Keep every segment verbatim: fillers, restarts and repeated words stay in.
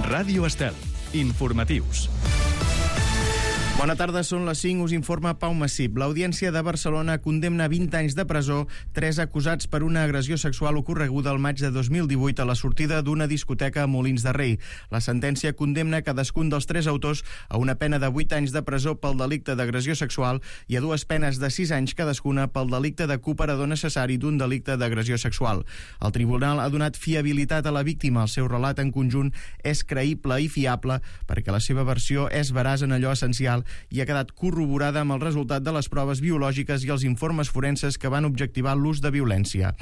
Ràdio Estel. Informatius. Bona tarda, són les cinc, us informa Pau Massip. L'Audiència de Barcelona condemna vint anys de presó tres acusats per una agressió sexual ocorreguda el maig de dos mil divuit a la sortida d'una discoteca a Molins de Rei. La sentència condemna cadascun dels tres autors a una pena de vuit anys de presó pel delicte d'agressió sexual i a dues penes de sis anys cadascuna pel delicte de cooperador necessari d'un delicte d'agressió sexual. El tribunal ha donat fiabilitat a la víctima. El seu relat en conjunt és creïble i fiable perquè la seva versió és veraç en allò essencial i ha quedat corroborada amb el resultat de les proves biològiques i els informes forenses que van objectivar l'ús de violència.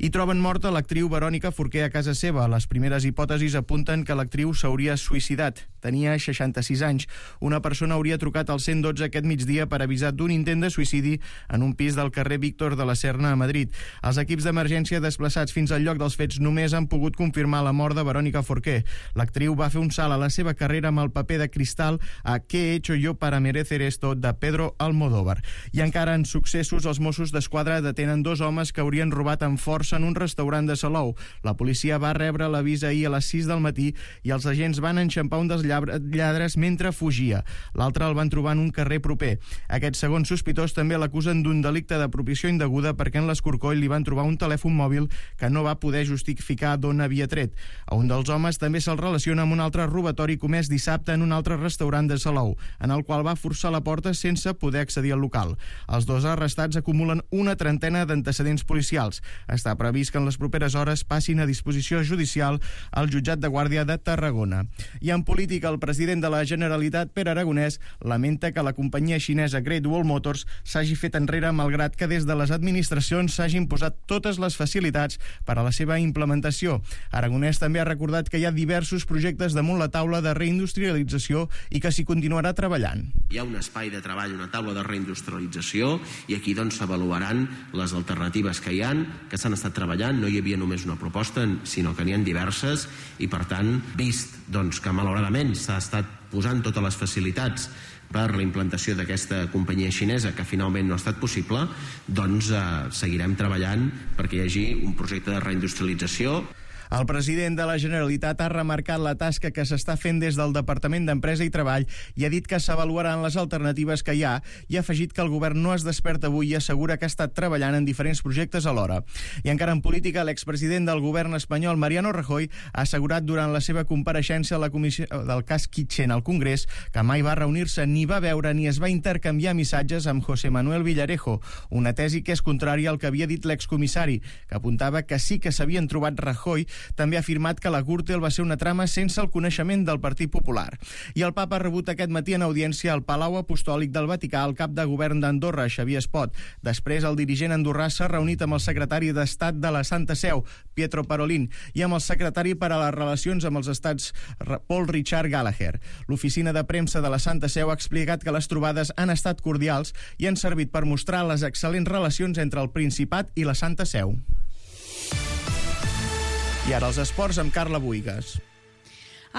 I troben morta l'actriu Verònica Forqué a casa seva. Les primeres hipòtesis apunten que l'actriu s'hauria suïcidat. Tenia seixanta-sis anys. Una persona hauria trucat al cent dotze aquest migdia per avisar d'un intent de suïcidi en un pis del carrer Víctor de la Serna a Madrid. Els equips d'emergència desplaçats fins al lloc dels fets només han pogut confirmar la mort de Verònica Forqué. L'actriu va fer un salt a la seva carrera amb el paper de Cristal a ¿Qué he hecho yo para merecer esto? De Pedro Almodóvar. I encara en successos, els Mossos d'Esquadra detenen dos homes que haurien robat amb força en un restaurant de Salou. La policia va rebre l'avís ahir a les sis del matí i els agents van enxampar un dels lladres mentre fugia. L'altre el van trobar en un carrer proper. Aquest segon sospitós també l'acusen d'un delicte d'apropiació indeguda perquè en l'Escorcoll li van trobar un telèfon mòbil que no va poder justificar d'on havia tret. A un dels homes també se'l relaciona amb un altre robatori comès dissabte en un altre restaurant de Salou, en el qual va forçar la porta sense poder accedir al local. Els dos arrestats acumulen una trentena d'antecedents policials. Està previst que en les properes hores passin a disposició judicial al jutjat de Guàrdia de Tarragona. I en política, el president de la Generalitat, Pere Aragonès, lamenta que la companyia xinesa Great Wall Motors s'hagi fet enrere malgrat que des de les administracions s'hagin posat totes les facilitats per a la seva implementació. Aragonès també ha recordat que hi ha diversos projectes damunt la taula de reindustrialització i que s'hi continuarà treballant. Hi ha un espai de treball, una taula de reindustrialització, i aquí doncs s'avaluaran les alternatives que hi han, que s'han estat treballant. No hi havia només una proposta, sinó que n'hi ha diverses, i per tant, vist doncs, que malauradament s'ha estat posant totes les facilitats per la implantació d'aquesta companyia xinesa que finalment no ha estat possible, doncs eh, seguirem treballant perquè hi hagi un projecte de reindustrialització. El president de la Generalitat ha remarcat la tasca que s'està fent des del Departament d'Empresa i Treball i ha dit que s'avaluaran les alternatives que hi ha i ha afegit que el govern no es desperta avui i assegura que ha estat treballant en diferents projectes alhora. I encara en política, l'expresident del govern espanyol, Mariano Rajoy, ha assegurat durant la seva compareixença a la comissió del cas Kitchen al Congrés que mai va reunir-se, ni va veure ni es va intercanviar missatges amb José Manuel Villarejo, una tesi que és contrària al que havia dit l'excomissari, que apuntava que sí que s'havien trobat. Rajoy també ha afirmat que la Gürtel va ser una trama sense el coneixement del Partit Popular. I el papa ha rebut aquest matí en audiència al Palau Apostòlic del Vaticà el cap de govern d'Andorra, Xavier Espot. Després, el dirigent andorrà s'ha reunit amb el secretari d'Estat de la Santa Seu, Pietro Parolin, i amb el secretari per a les relacions amb els estats, Paul Richard Gallagher. L'oficina de premsa de la Santa Seu ha explicat que les trobades han estat cordials i han servit per mostrar les excel·lents relacions entre el Principat i la Santa Seu. I ara els esports amb Carla Buigas.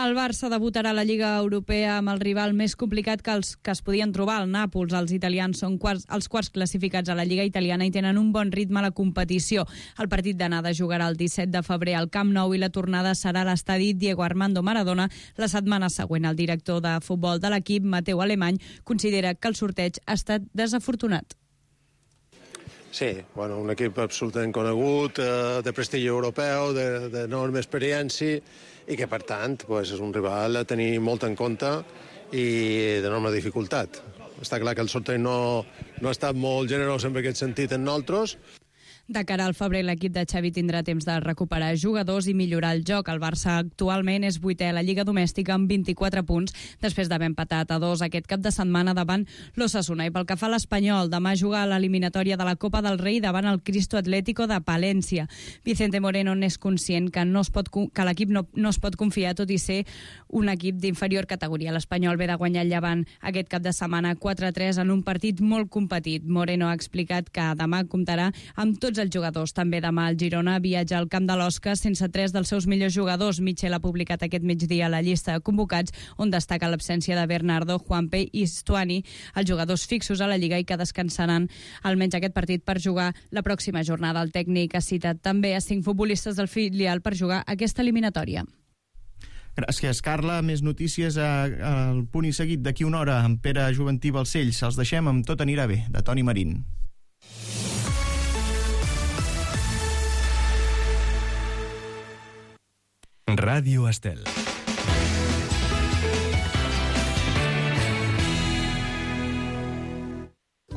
El Barça debutarà a la Lliga Europea amb el rival més complicat que els que es podien trobar, el Nàpols. Els italians són quarts, els quarts classificats a la Lliga italiana i tenen un bon ritme a la competició. El partit d'anada jugarà el disset de febrer al Camp Nou i la tornada serà a l'estadi Diego Armando Maradona la setmana següent. El director de futbol de l'equip, Mateu Alemany, considera que el sorteig ha estat desafortunat. Sí, bueno, un equip absolutament conegut, eh, de prestigi europeu, d'enorme experiència i que, per tant, pues, és un rival a tenir molt en compte i d'enorme dificultat. Està clar que el sorteig no, no ha estat molt generós en aquest sentit en nosaltres. De cara al febrer, l'equip de Xavi tindrà temps de recuperar jugadors i millorar el joc. El Barça actualment és vuitè a la Lliga Domèstica amb vint-i-quatre punts, després d'haver empatat a dos aquest cap de setmana davant l'Osasuna. I pel que fa a l'Espanyol, demà juga a l'eliminatòria de la Copa del Rei davant el Cristo Atlético de Palència. Vicente Moreno n'és conscient que, no es pot, que l'equip no, no es pot confiar, tot i ser un equip d'inferior categoria. L'Espanyol ve de guanyar el Llevant aquest cap de setmana quatre a tres en un partit molt competit. Moreno ha explicat que demà comptarà amb tots els jugadors. També demà el Girona viatja al camp de l'Osca sense tres dels seus millors jugadors. Michel ha publicat aquest migdia la llista de convocats, on destaca l'absència de Bernardo, Juanpe i Stuani, els jugadors fixos a la Lliga i que descansaran almenys aquest partit per jugar la pròxima jornada. El tècnic ha citat també a cinc futbolistes del filial per jugar aquesta eliminatòria. Gràcies, Carla. Més notícies al punt i seguit d'aquí una hora amb Pere Juventí Balcells. Els deixem amb Tot anirà bé, de Toni Marín. Ràdio Estel.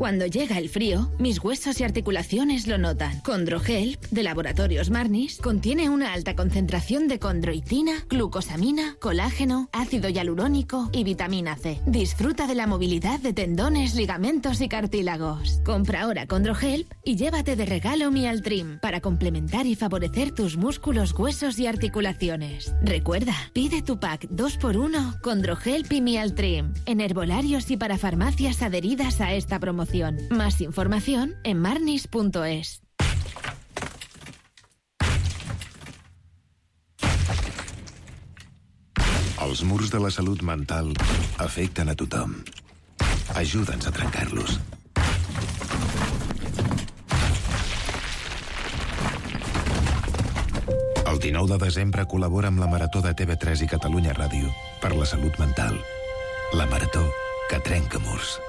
Cuando llega el frío, mis huesos y articulaciones lo notan. Condrohelp, de Laboratorios Marnis, contiene una alta concentración de condroitina, glucosamina, colágeno, ácido hialurónico y vitamina C. Disfruta de la movilidad de tendones, ligamentos y cartílagos. Compra ahora Condrohelp y llévate de regalo Mialtrim para complementar y favorecer tus músculos, huesos y articulaciones. Recuerda, pide tu pack dos por uno Condrohelp y Mialtrim en herbolarios y para farmacias adheridas a esta promoción. Más información en marnis punto es. Els murs de la salut mental afecten a tothom. Ajuda'ns a trencar-los. El dinou de desembre col·labora amb la Marató de T V tres i Catalunya Ràdio per la salut mental. La Marató que trenca murs.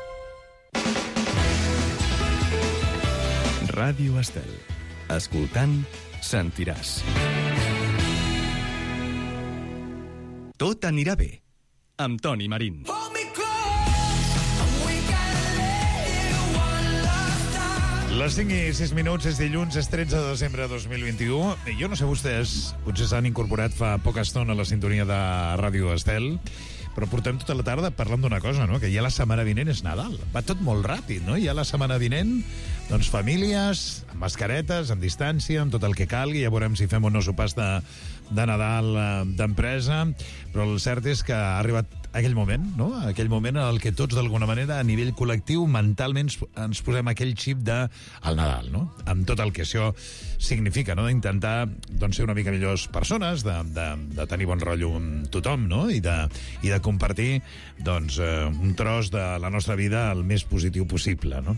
Ràdio Estel. Escoltant, sentiràs. Tot anirà bé, amb Toni Marín. Les cinc i sis minuts, és dilluns, és tretze de desembre de dos mil vint-i-u. Jo no sé vostès, potser s'han incorporat fa poca estona a la sintonia de Ràdio Estel, però portem tota la tarda parlant d'una cosa, no? Que ja la setmana vinent és Nadal. Va tot molt ràpid, no? Ja la setmana vinent, doncs famílies, amb mascaretes, amb distància, amb tot el que calgui, ja veurem si fem o no sopars de, de Nadal eh, d'empresa, però el cert és que ha arribat aquell moment, no? Aquell moment en el que tots, d'alguna manera, a nivell col·lectiu, mentalment ens posem aquell xip de al Nadal, no? Amb tot el que això significa, no? D'intentar, doncs, ser una mica millors persones, de, de, de tenir bon rotllo amb tothom, no? I de, i de compartir, doncs, eh, un tros de la nostra vida el més positiu possible, no?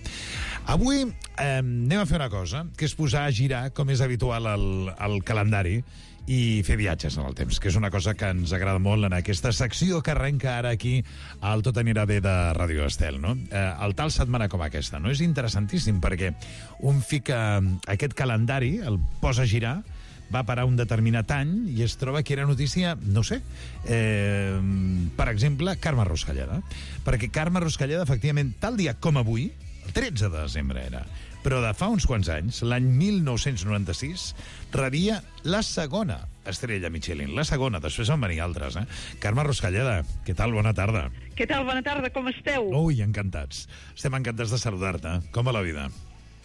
Avui eh, anem a fer una cosa, que és posar a girar, com és habitual al, al calendari, i fer viatges en el temps, que és una cosa que ens agrada molt en aquesta secció que arrenca ara aquí al Tot anirà bé de Ràdio Estel, no? Eh, el tal setmana com aquesta, no? És interessantíssim perquè un fica aquest calendari, el posa a girar, va parar un determinat any i es troba que era notícia, no sé, eh, per exemple, Carme Ruscalleda. Perquè Carme Ruscalleda, efectivament, tal dia com avui, el tretze de desembre era, però de fa uns quants anys, l'any mil nou-cents noranta-sis, rebia la segona estrella Michelin. La segona, després van venir altres, eh? Carme Ruscalleda, què tal? Bona tarda. Què tal? Bona tarda, com esteu? Ui, encantats. Estem encantats de saludar-te. Com va la vida?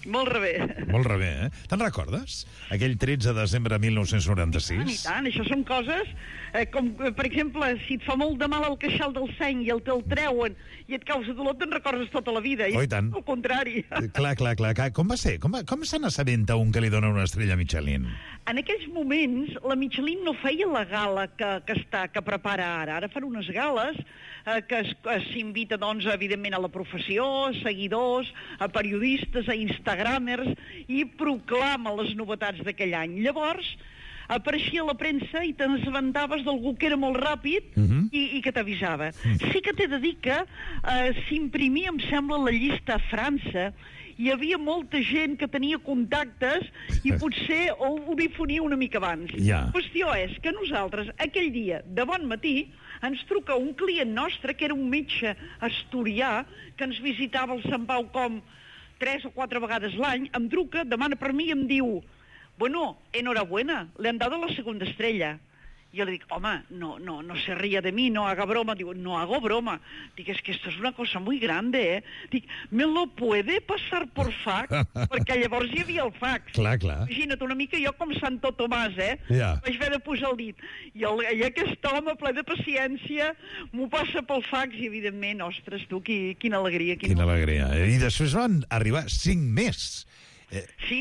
Molt rebé. Molt rebé, eh? Te'n recordes? Aquell tretze de desembre de mil nou-cents noranta-sis? I tant, això són coses eh, com, eh, per exemple, si et fa molt de mal el queixal del seny i el te'l treuen i et causa dolor, te'n recordes tota la vida. Oh, i tant. Al contrari. Clar, clar, clar. Com va ser? Com, va, com se n'assabenta un que li dona una estrella Michelin? En aquells moments, la Michelin no feia la gala que, que, està, que prepara ara. Ara fan unes gales eh, que s'invita, doncs, evidentment, a la professió, a seguidors, a periodistes, a instagramers, i proclama les novetats d'aquell any. Llavors, apareixia a la premsa i t'assabentaves d'algú que era molt ràpid uh-huh. i, i que t'avisava. Uh-huh. Sí que t'he de dir que eh, s'imprimia, em sembla, la llista a França. Hi havia molta gent que tenia contactes i potser ho, ho difonia una mica abans. Ja. La qüestió és que nosaltres, aquell dia, de bon matí, ens truca un client nostre, que era un metge asturià, que ens visitava al Sant Pau com tres o quatre vegades l'any, em truca, demana per mi i em diu: bueno, enhorabuena, le han dado la segunda estrella. Yo le digo, home, no, no, no se ría de mí, no haga broma. Digo, no hago broma. Digo, es que esto es una cosa muy grande, eh? Dic, ¿me lo puede pasar por fax? Perquè llavors hi havia el fax. Clar, clar. Imagina't una mica jo com Santo Tomàs, eh? Ja. Vaig haver de posar el dit. I, el, I aquest home, ple de paciència, m'ho passa pel fax i, evidentment, ostres, tu, qui, quina alegria. Quina, quina alegria. I després van arribar cinc més. Eh, sí.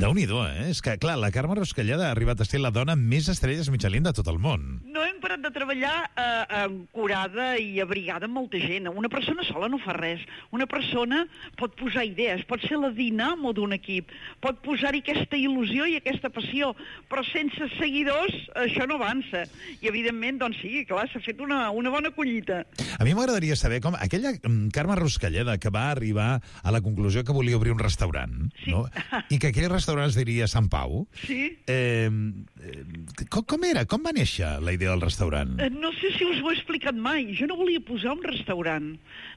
Déu-n'hi-do, eh? És que, clar, la Carme Ruscalleda ha arribat a ser la dona amb més estrelles Michelin de tot el món. No hem parat de treballar eh, ancorada i abrigada amb molta gent. Una persona sola no fa res. Una persona pot posar idees, pot ser la dinamo d'un equip, pot posar-hi aquesta il·lusió i aquesta passió, però sense seguidors això no avança. I, evidentment, doncs sí, clar, s'ha fet una, una bona collita. A mi m'agradaria saber com aquella Carme Ruscalleda que va arribar a la conclusió que volia obrir un restaurant, sí. no? I que aquell restaurant es diria Sant Pau. Sí. Eh, eh, com, com era? Com va néixer la idea del restaurant? Eh, no sé si us ho he explicat mai. Jo no volia posar un restaurant.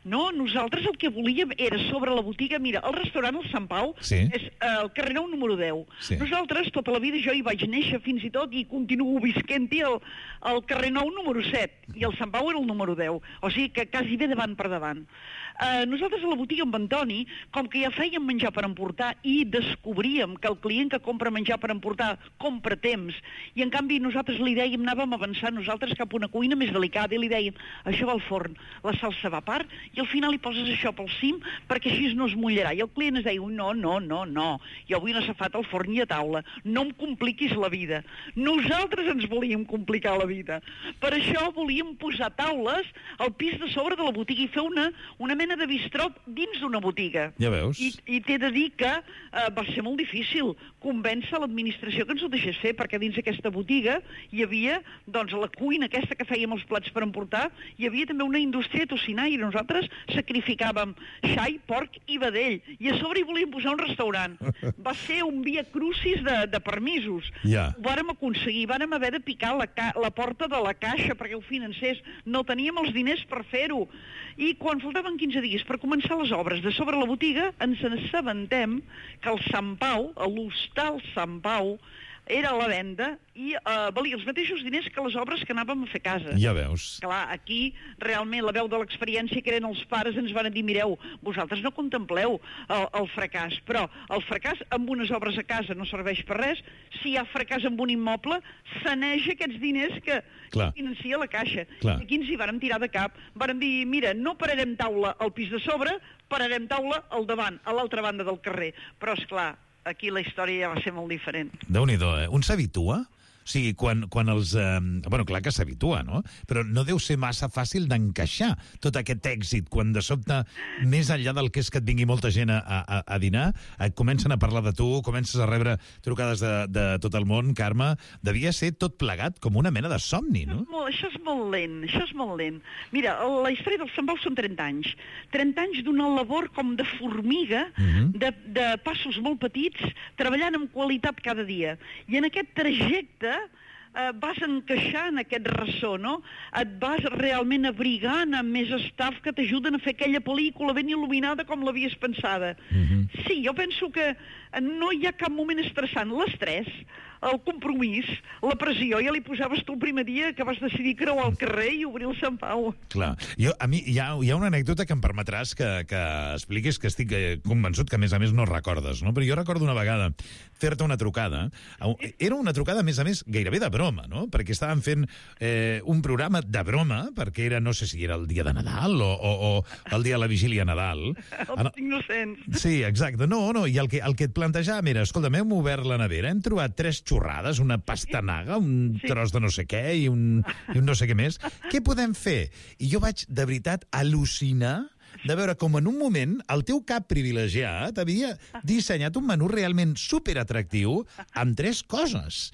No, nosaltres el que volíem era sobre la botiga. Mira, el restaurant, el Sant Pau, sí. és eh, el carrer Nou número deu. Sí. Nosaltres, tota la vida, jo hi vaig néixer fins i tot i continuo visquent-hi al, al carrer Nou número set. I el Sant Pau era el número deu. O sigui que quasi bé davant per davant. Uh, nosaltres a la botiga amb Antoni, com que ja fèiem menjar per emportar i descobríem que el client que compra menjar per emportar compra temps, i en canvi nosaltres li dèiem, anàvem avançant nosaltres cap a una cuina més delicada i li dèiem, això va al forn, la salsa va a part i al final hi poses això pel cim perquè així no es mullarà. I el client es deia, no, no, no, no, jo vull una safata al forn i a taula, no em compliquis la vida. Nosaltres ens volíem complicar la vida. Per això volíem posar taules al pis de sobre de la botiga i fer una, una mena de bistrot dins d'una botiga. Ja veus. I, i t'he de dir que eh, va ser molt difícil convèncer l'administració que ens ho deixés fer, perquè dins aquesta botiga hi havia, doncs, la cuina aquesta que fèiem els plats per emportar, hi havia també una indústria tocinar i nosaltres sacrificàvem xai, porc i vedell. I a sobre hi volíem posar un restaurant. Va ser un via crucis de, de permisos. Ja. Ho vàrem aconseguir, vàrem haver de picar la, ca la porta de la caixa perquè ho financés. No teníem els diners per fer-ho. I quan faltaven quinze dies per començar les obres de sobre la botiga, ens assabentem que el Sant Pau, l'hostal Sant Pau, era a la venda i eh, valia els mateixos diners que les obres que anàvem a fer a casa. Ja veus. Clar, aquí realment la veu de l'experiència que eren els pares ens van dir, mireu, vosaltres no contempleu el, el fracàs, però el fracàs amb unes obres a casa no serveix per res. Si hi ha fracàs amb un immoble, saneja aquests diners que, que financia la caixa. Clar. I aquí ens hi vàrem tirar de cap. Vàrem dir, mira, no pararem taula al pis de sobre, pararem taula al davant, a l'altra banda del carrer. Però, és clar, aquí la història ja va ser molt diferent. Déu-n'hi-do, eh? Un s'habitua? O sigui, quan, quan els... Eh, bueno, clar que s'habitua, no? Però no deu ser massa fàcil d'encaixar tot aquest èxit, quan de sobte, més enllà del que és que et vingui molta gent a, a, a dinar, et comencen a parlar de tu, comences a rebre trucades de, de tot el món, Carme, devia ser tot plegat com una mena de somni, no? Molt, això és molt lent, això és molt lent. Mira, la història del Sant Pau són trenta anys. trenta anys d'una labor com de formiga, uh-huh. de, de passos molt petits, treballant amb qualitat cada dia. I en aquest trajecte eh, vas encaixant aquest ressò, no? Et vas realment abrigant amb més staff que t'ajuden a fer aquella pel·lícula ben il·luminada com l'havies pensada. Uh-huh. Sí, jo penso que no hi ha cap moment estressant. L'estrès, el compromís, la pressió, ja li posaves tu el primer dia que vas decidir creuar el carrer i obrir el Sant Pau. Clar. Jo, a mi hi ha, hi ha una anècdota que em permetràs que, que expliquis, que estic convençut que a més a més no recordes, no? Però jo recordo una vegada fer-te una trucada. Era una trucada, a més a més, gairebé de broma, no? Perquè estàvem fent eh, un programa de broma, perquè era, no sé si era el dia de Nadal o, o, o el dia de la vigília Nadal. Els innocents. Sí, exacte. No, no, i el que, el que et plantejàvem era, escolta, hem obert la nevera, hem trobat tres xorrades, una pastanaga, un sí. tros de no sé què i un, i un no sé què més. Què podem fer? I jo vaig, de veritat, al·lucinar de veure com en un moment el teu cap privilegiat havia dissenyat un menú realment superatractiu amb tres coses.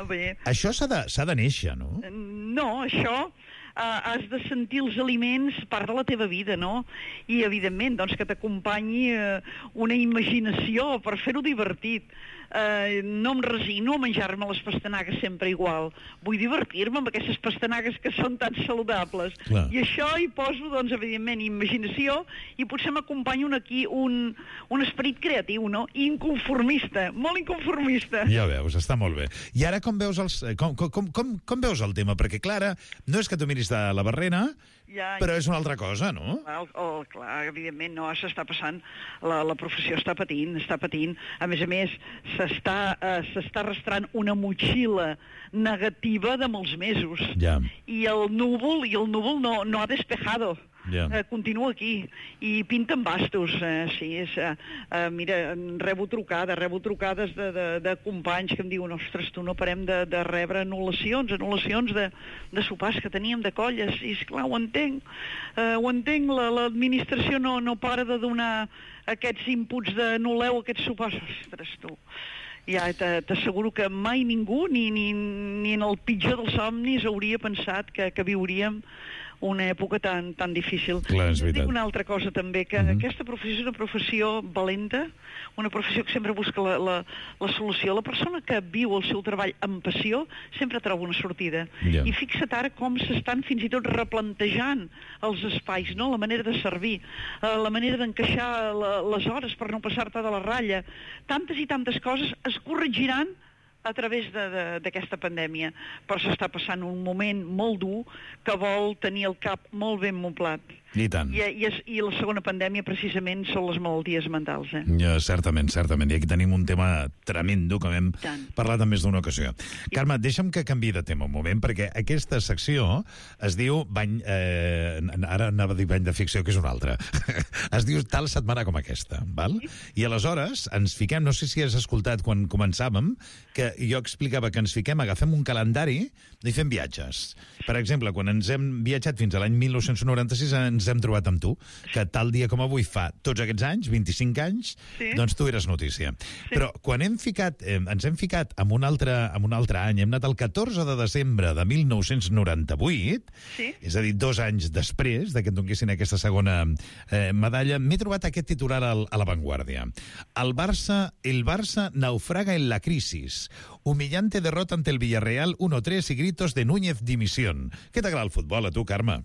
Bé. Això s'ha de, s'ha de néixer, no? No, això... Uh, has de sentir els aliments part de la teva vida, no? I, evidentment, doncs, que t'acompanyi uh, una imaginació per fer-ho divertit. Uh, no em resigno a menjar-me les pastanagues sempre igual. Vull divertir-me amb aquestes pastanagues que són tan saludables. Clar. I això hi poso, doncs, evidentment, imaginació i potser m'acompanya un, aquí un, un esperit creatiu, no? Inconformista, molt inconformista. Ja veus, està molt bé. I ara com veus, els, com, com, com, com veus el tema? Perquè, Clara, no és que tu miris de la barrera, ja, però és una altra cosa, no? Clar, oh, clar, evidentment, no, s'està passant, la, la professió està patint, està patint. A més a més, s'està eh, s'està arrastrant una motxilla negativa de molts mesos. Ja. I el núvol, i el núvol no, no ha despejado. yeah. eh, continua aquí i pinten bastos. Eh, sí, és, eh, eh, mira, rebo trucades, rebo trucades de, de, de companys que em diuen, ostres, tu no parem de, de rebre anul·lacions, anul·lacions de, de sopars que teníem de colles, i esclar, ho entenc, eh, ho entenc, la, l'administració no, no para de donar aquests inputs de anul·leu aquests sopars, ostres, tu. Ja t'asseguro que mai ningú, ni, ni, ni en el pitjor dels somnis, hauria pensat que, que viuríem una època tan, tan difícil. Clar, és veritat. Dic una altra cosa també, que mm-hmm. aquesta professió és una professió valenta, una professió que sempre busca la, la, la solució. La persona que viu el seu treball amb passió sempre troba una sortida. Yeah. I fixa't ara com s'estan fins i tot replantejant els espais, no? La manera de servir, la manera d'encaixar la, les hores per no passar-te de la ratlla. Tantes i tantes coses es corregiran a través d'aquesta pandèmia, però s'està passant un moment molt dur que vol tenir el cap molt ben moblat. I tant. I, i, I la segona pandèmia, precisament, són les malalties mentals. Eh? Ja, certament, certament. I aquí tenim un tema tremendo que hem tant. parlat en més d'una ocasió. I... Carme, deixa'm que canviï de tema un moment, perquè aquesta secció es diu bany... Eh, ara anava a dir bany de ficció, que és una altra. Es diu tal setmana com aquesta, val? Sí. I aleshores ens fiquem, no sé si has escoltat quan començàvem, que jo explicava que ens fiquem, agafem un calendari i fem viatges. Per exemple, quan ens hem viatjat fins a l'any mil nou-cents noranta-sis, ens hem trobat amb tu, que tal dia com avui fa tots aquests anys, vint-i-cinc anys, sí. doncs tu eres notícia. Sí. Però quan hem ficat, eh, ens hem ficat en un, altre, en un altre any, hem anat el catorze de desembre de mil nou-cents noranta-vuit, sí. és a dir, dos anys després de que et donessin aquesta segona eh, medalla, m'he trobat aquest titular al, a La Vanguardia. El Barça, el Barça naufraga en la crisis. Humillante derrota ante el Villarreal uno tres y gritos de Núñez dimisión. Què t'agrada el futbol, a tu, Carme?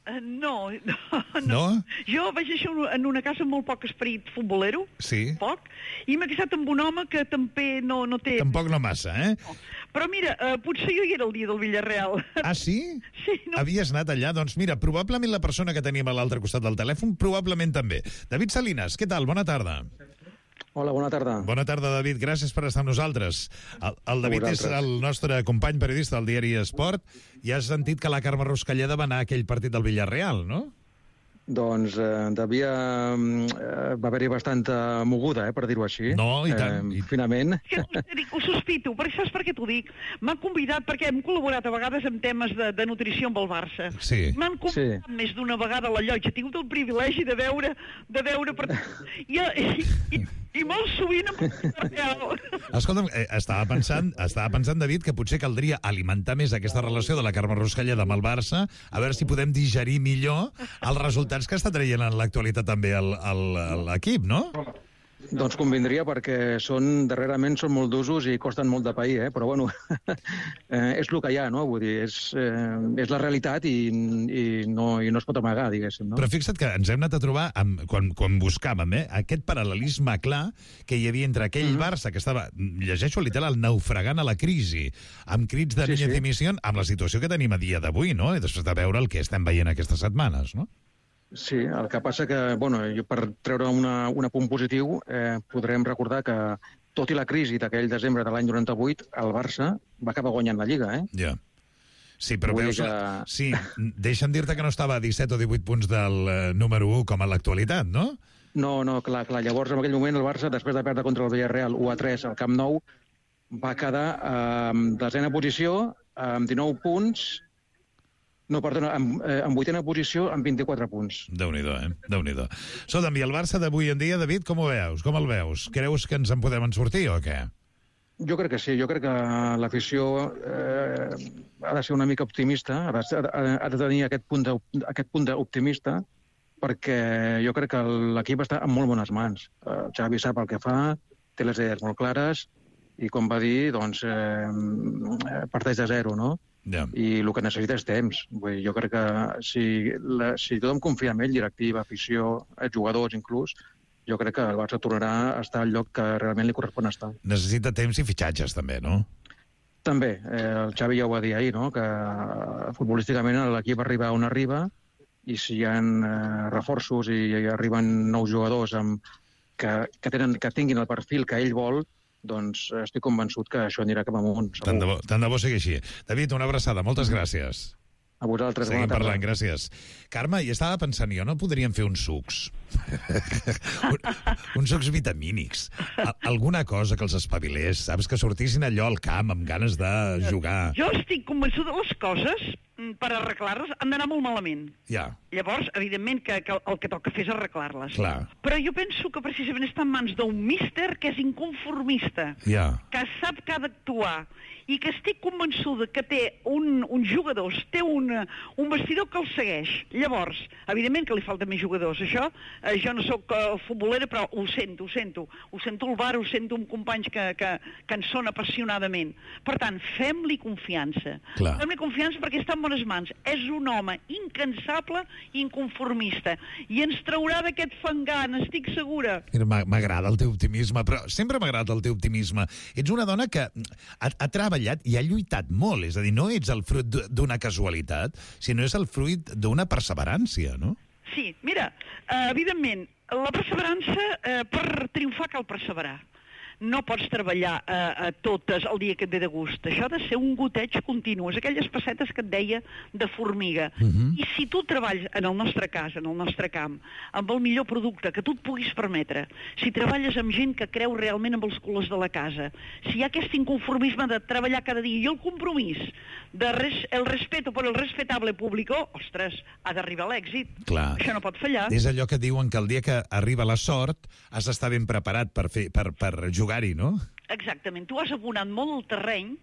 Uh, no, no, no, no. Jo vaig néixer en una casa amb molt poc esperit futbolero, sí. poc, i m'he casat amb un home que també no, no té... Tampoc no massa, eh? No. Però mira, uh, potser jo hi era el dia del Villarreal. Ah, sí? Sí. No. Havies anat allà? Doncs mira, probablement la persona que tenim a l'altre costat del telèfon, probablement també. David Salinas, què tal? Bona tarda. Hola, bona tarda. Bona tarda, David. Gràcies per estar amb nosaltres. El, el David és el nostre company periodista del diari Esport i has sentit que la Carme Ruscalleda va anar a aquell partit del Villarreal, no? Doncs eh, devia... Eh, va haver-hi bastanta moguda, eh, per dir-ho així. No, i tant. Eh, finament. Que dic, ho sospito, perquè saps per què t'ho dic? M'han convidat, perquè hem col·laborat a vegades en temes de, de nutrició amb el Barça. Sí. M'han convidat sí. més d'una vegada a la llotja. He tingut el privilegi de veure... De veure per... I, i, i, i molt sovint amb el real. Escolta'm, eh, estava pensant, estava pensant, David, que potser caldria alimentar més aquesta relació de la Carme Ruscalleda amb el Barça, a veure si podem digerir millor els resultats que està traient en l'actualitat també l'equip, no? Doncs convindria, perquè són, darrerament són molt d'usos i costen molt de pair, eh? Però bueno, eh, és el que hi ha, no? Vull dir, és, eh, és la realitat i, i, no, i no es pot amagar, diguéssim, no? Però fixa't que ens hem anat a trobar, amb, quan, quan buscàvem, eh, aquest paral·lelisme clar que hi havia entre aquell mm-hmm. Barça que estava, llegeixo literal, naufragant a la crisi, amb crits de Núñez dimisión, amb la situació que tenim a dia d'avui, no? I després de veure el que estem veient aquestes setmanes, no? Sí, el que passa que, bueno, jo per treure una, un apunt positiu, eh, podrem recordar que, tot i la crisi d'aquell desembre de l'any noranta-vuit, el Barça va acabar guanyant la Lliga, eh? Ja. Sí, però Vull veus... que... Sí, deixa'm dir-te que no estava a disset o divuit punts del eh, número u com a l'actualitat, no? No, no, clar, clar. Llavors, en aquell moment, el Barça, després de perdre contra el Villarreal u a tres al Camp Nou, va quedar eh, en desena posició, amb dinou punts... No, perdona, en, eh, en vuitena posició amb vint-i-quatre punts. Déu-n'hi-do, eh? Déu-n'hi-do. Escolta'm, i el Barça d'avui en dia, David, com ho veus? Com el veus? Creus que ens en podem en sortir o què? Jo crec que sí. Jo crec que l'afició eh, ha de ser una mica optimista, ha de, ha de tenir aquest punt, de, aquest punt d'optimista, perquè jo crec que l'equip està en molt bones mans. El Xavi sap el que fa, té les idees molt clares, i com va dir, doncs, eh, parteix de zero, no? Yeah. I el que necessita és temps. Vull dir, jo crec que si, la, si tothom confia en ell, directiva, afició, jugadors inclús, jo crec que el Barça tornarà a estar al lloc que realment li correspon estar. Necessita temps i fitxatges, també, no? També. Eh, el Xavi ja ho va dir ahir, no? Que futbolísticament l'equip arriba on arriba, i si hi ha eh, reforços i, i arriben nous jugadors amb, que, que, tenen, que tinguin el perfil que ell vol, doncs estic convençut que això anirà cap amunt. Tant de bo, tant de bo sigui així. David, una abraçada. Moltes gràcies. A vosaltres, Seguim bona tarda. parlant, gràcies. Carme, i estava pensant, jo no podríem fer uns sucs? Un, uns sucs vitamínics. A, alguna cosa que els espavilés, saps? Que sortissin allò al camp amb ganes de jugar. Jo estic convençuda de les coses, per arreglar-les, han d'anar molt malament. Ja. Llavors, evidentment, que, que el que toca fer és arreglar-les. Clar. Però jo penso que precisament està en mans d'un míster que és inconformista, Ja. que sap que ha d'actuar, i que estic convençuda que té un, uns jugadors, té un, un vestidor que el segueix. Llavors, evidentment que li falten més jugadors. Això, eh, jo no sóc uh, futbolera, però ho sento, ho sento. Ho sento al bar, ho sento amb companys que, que, que en són apassionadament. Per tant, fem-li confiança. Clar. Fem-li confiança perquè està en bones mans. És un home incansable i inconformista. I ens traurà d'aquest fangar, n'estic segura. Mira, m'ha- m'agrada el teu optimisme, però sempre m'ha agradat el teu optimisme. Ets una dona que ha, ha treballat i ha lluitat molt, és a dir, no ets el fruit d- d'una casualitat, sinó és el fruit d'una perseverància, no? Sí, mira, eh, evidentment, la perseverança, eh, per triomfar cal perseverar. No pots treballar eh, a totes el dia que et ve de gust. Això ha de ser un goteig continu. És aquelles pessetes que et deia de formiga. Mhm. I si tu treballes, en el nostre cas, en el nostre camp, amb el millor producte que tu et puguis permetre, si treballes amb gent que creu realment amb els colors de la casa, si hi ha aquest inconformisme de treballar cada dia i el compromís, de res, el respeto per el respetable público, ostres, ha d'arribar a l'èxit. Clar. Això no pot fallar. És allò que diuen que el dia que arriba la sort has d'estar ben preparat per, fer, per, per jugar-hi, no? Exactament. Tu has abonat molt el terreny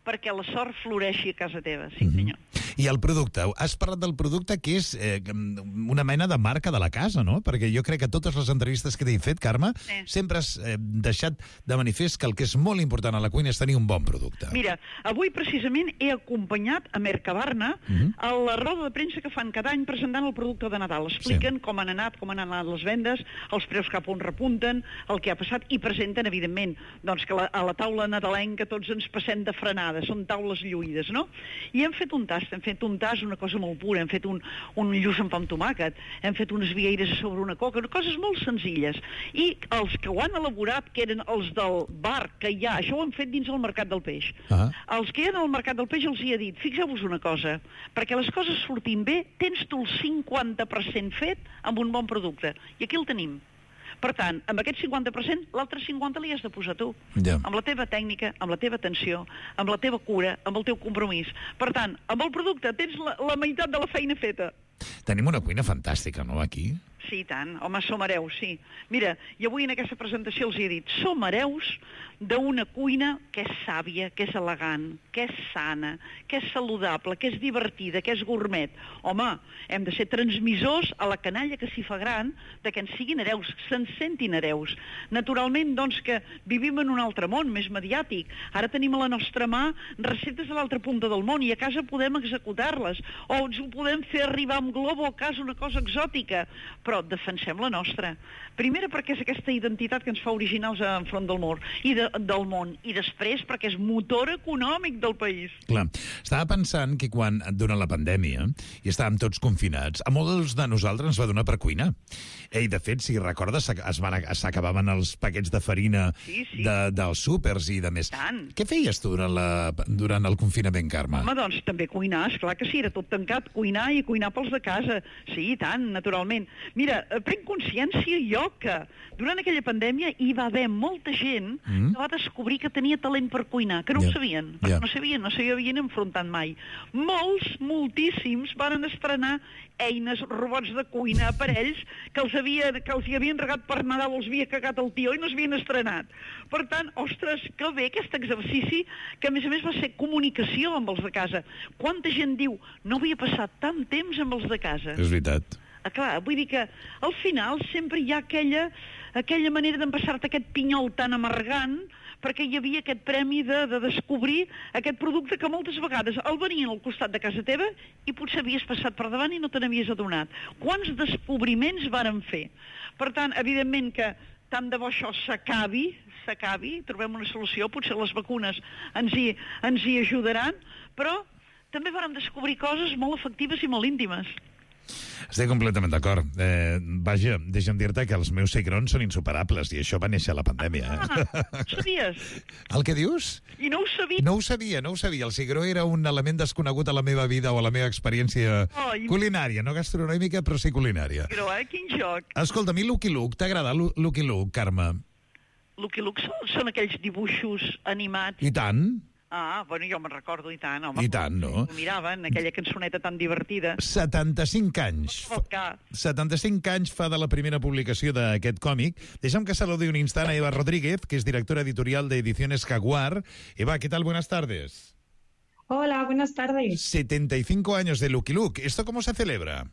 perquè la sort floreixi a casa teva, sí senyor. I el producte, has parlat del producte que és eh, una mena de marca de la casa, no? Perquè jo crec que totes les entrevistes que t'he fet, Carme, Sí. sempre has eh, deixat de manifest que el que és molt important a la cuina és tenir un bon producte. Mira, avui precisament he acompanyat a Mercabarna Mhm. a la roda de premsa que fan cada any presentant el producte de Nadal. Expliquen com han anat, com han anat les vendes, els preus cap on repunten, el que ha passat, i presenten, evidentment, doncs que la, a la taula nadalenca tots ens passem de frenada, són taules lluïdes, no? I hem fet un tast, hem fet un tast, una cosa molt pura, hem fet un, un lluç amb pa amb tomàquet, hem fet unes vieires a sobre una coca, coses molt senzilles. I els que ho han elaborat, que eren els del bar que hi ha, això ho han fet dins el Mercat del Peix. Ah. Els que hi ha al Mercat del Peix els hi he dit, fixeu-vos una cosa, perquè les coses surtin bé, tens tu el cinquanta per cent fet amb un bon producte. I aquí el tenim. Per tant, amb aquest cinquanta per cent, l'altre cinquanta per cent li has de posar tu. Ja. Amb la teva tècnica, amb la teva atenció, amb la teva cura, amb el teu compromís. Per tant, amb el producte tens la, la meitat de la feina feta. Tenim una cuina fantàstica, no, aquí? Sí, i tant. Home, som hereus, sí. Mira, i avui en aquesta presentació els he dit, som hereus d'una cuina que és sàvia, que és elegant, que és sana, que és saludable, que és divertida, que és gourmet. Home, hem de ser transmissors a la canalla que s'hi fa gran de que ens siguin hereus, se'n sentin hereus. Naturalment, doncs, que vivim en un altre món, més mediàtic. Ara tenim a la nostra mà receptes a l'altra punta del món i a casa podem executar-les, o ens ho podem fer arribar amb globo a casa, una cosa exòtica, però defensem la nostra. Primera perquè és aquesta identitat que ens fa originals enfront del món, i de, del món, i després perquè és motor econòmic del país. Clar, estava pensant que quan, durant la pandèmia, i estàvem tots confinats, a molts de nosaltres ens va donar per cuinar. I, de fet, si recordes, s'ac- es van ac- s'acabaven els paquets de farina Sí, sí. de, dels súpers i de més. Tant. Què feies tu durant, la, durant el confinament, Carme? Home, doncs també cuinar, esclar que sí, era tot tancat, cuinar i cuinar pels de casa. Sí, i tant, naturalment. Mira, eh, prenc consciència jo que durant aquella pandèmia hi va haver molta gent Mm. que va descobrir que tenia talent per cuinar, que no Ja, ho sabien, ja. perquè no sabien, no s'hi havien enfrontat mai. Molts, moltíssims, van estrenar eines, robots de cuina, aparells que els, havia, que els hi havien regat per Nadal, els havia cagat el tió i no s'havien estrenat. Per tant, ostres, que bé aquest exercici, que a més a més va ser comunicació amb els de casa. Quanta gent diu, no havia passat tant temps amb els de casa. És veritat. Ah, clar, vull dir que al final sempre hi ha aquella, aquella manera d'empassar-te aquest pinyol tan amargant perquè hi havia aquest premi de, de descobrir aquest producte que moltes vegades el venien al costat de casa teva i potser havies passat per davant i no te n'havies adonat. Quants descobriments varen fer? Per tant, evidentment que tant de bo això s'acabi, s'acabi, trobem una solució, potser les vacunes ens hi, ens hi ajudaran, però també vàrem descobrir coses molt efectives i molt íntimes. Estic completament d'acord. Eh, vaja, deixa'm dir-te que els meus cigrons són insuperables i això va néixer a la pandèmia. Eh? Ah, ho sabies? El que dius? I no ho sabia? No ho sabia, no ho sabia. El cigró era un element desconegut a la meva vida o a la meva experiència oh, i... culinària, no gastronòmica, però sí culinària. Però, eh? Quin joc. Escolta, a mi Lucky Luke, t'agrada Lucky Luke, Carme? Lucky Luke són, són aquells dibuixos animats. I tant. Ah, bueno, jo me'n recordo, i tant, home. I tant, no? Ho miraven, aquella cançoneta tan divertida. setanta-cinc anys. setanta-cinc anys fa de la primera publicació d'aquest còmic. Deixa'm que saludi un instant a Eva Rodríguez, que es directora editorial de Ediciones Jaguar. Eva, ¿qué tal? Buenas tardes. Hola, buenas tardes. setenta y cinco años de Lucky Luke. ¿Esto cómo se celebra?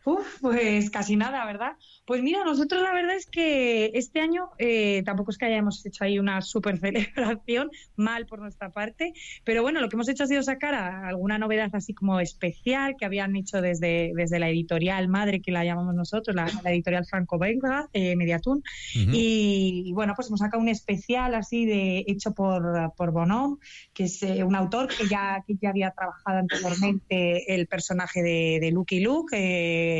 Uf, pues casi nada, ¿verdad? Pues mira, nosotros la verdad es que este año eh, tampoco es que hayamos hecho ahí una super celebración, mal por nuestra parte, pero bueno, lo que hemos hecho ha sido sacar a alguna novedad así como especial que habían hecho desde, desde la editorial madre, que la llamamos nosotros, la, la editorial franco-belga, eh, Mediatún, uh-huh. y, y bueno, pues hemos sacado un especial así de hecho por, por Bonhomme, que es eh, un autor que ya, que ya había trabajado anteriormente el personaje de, de Lucky Luke, eh,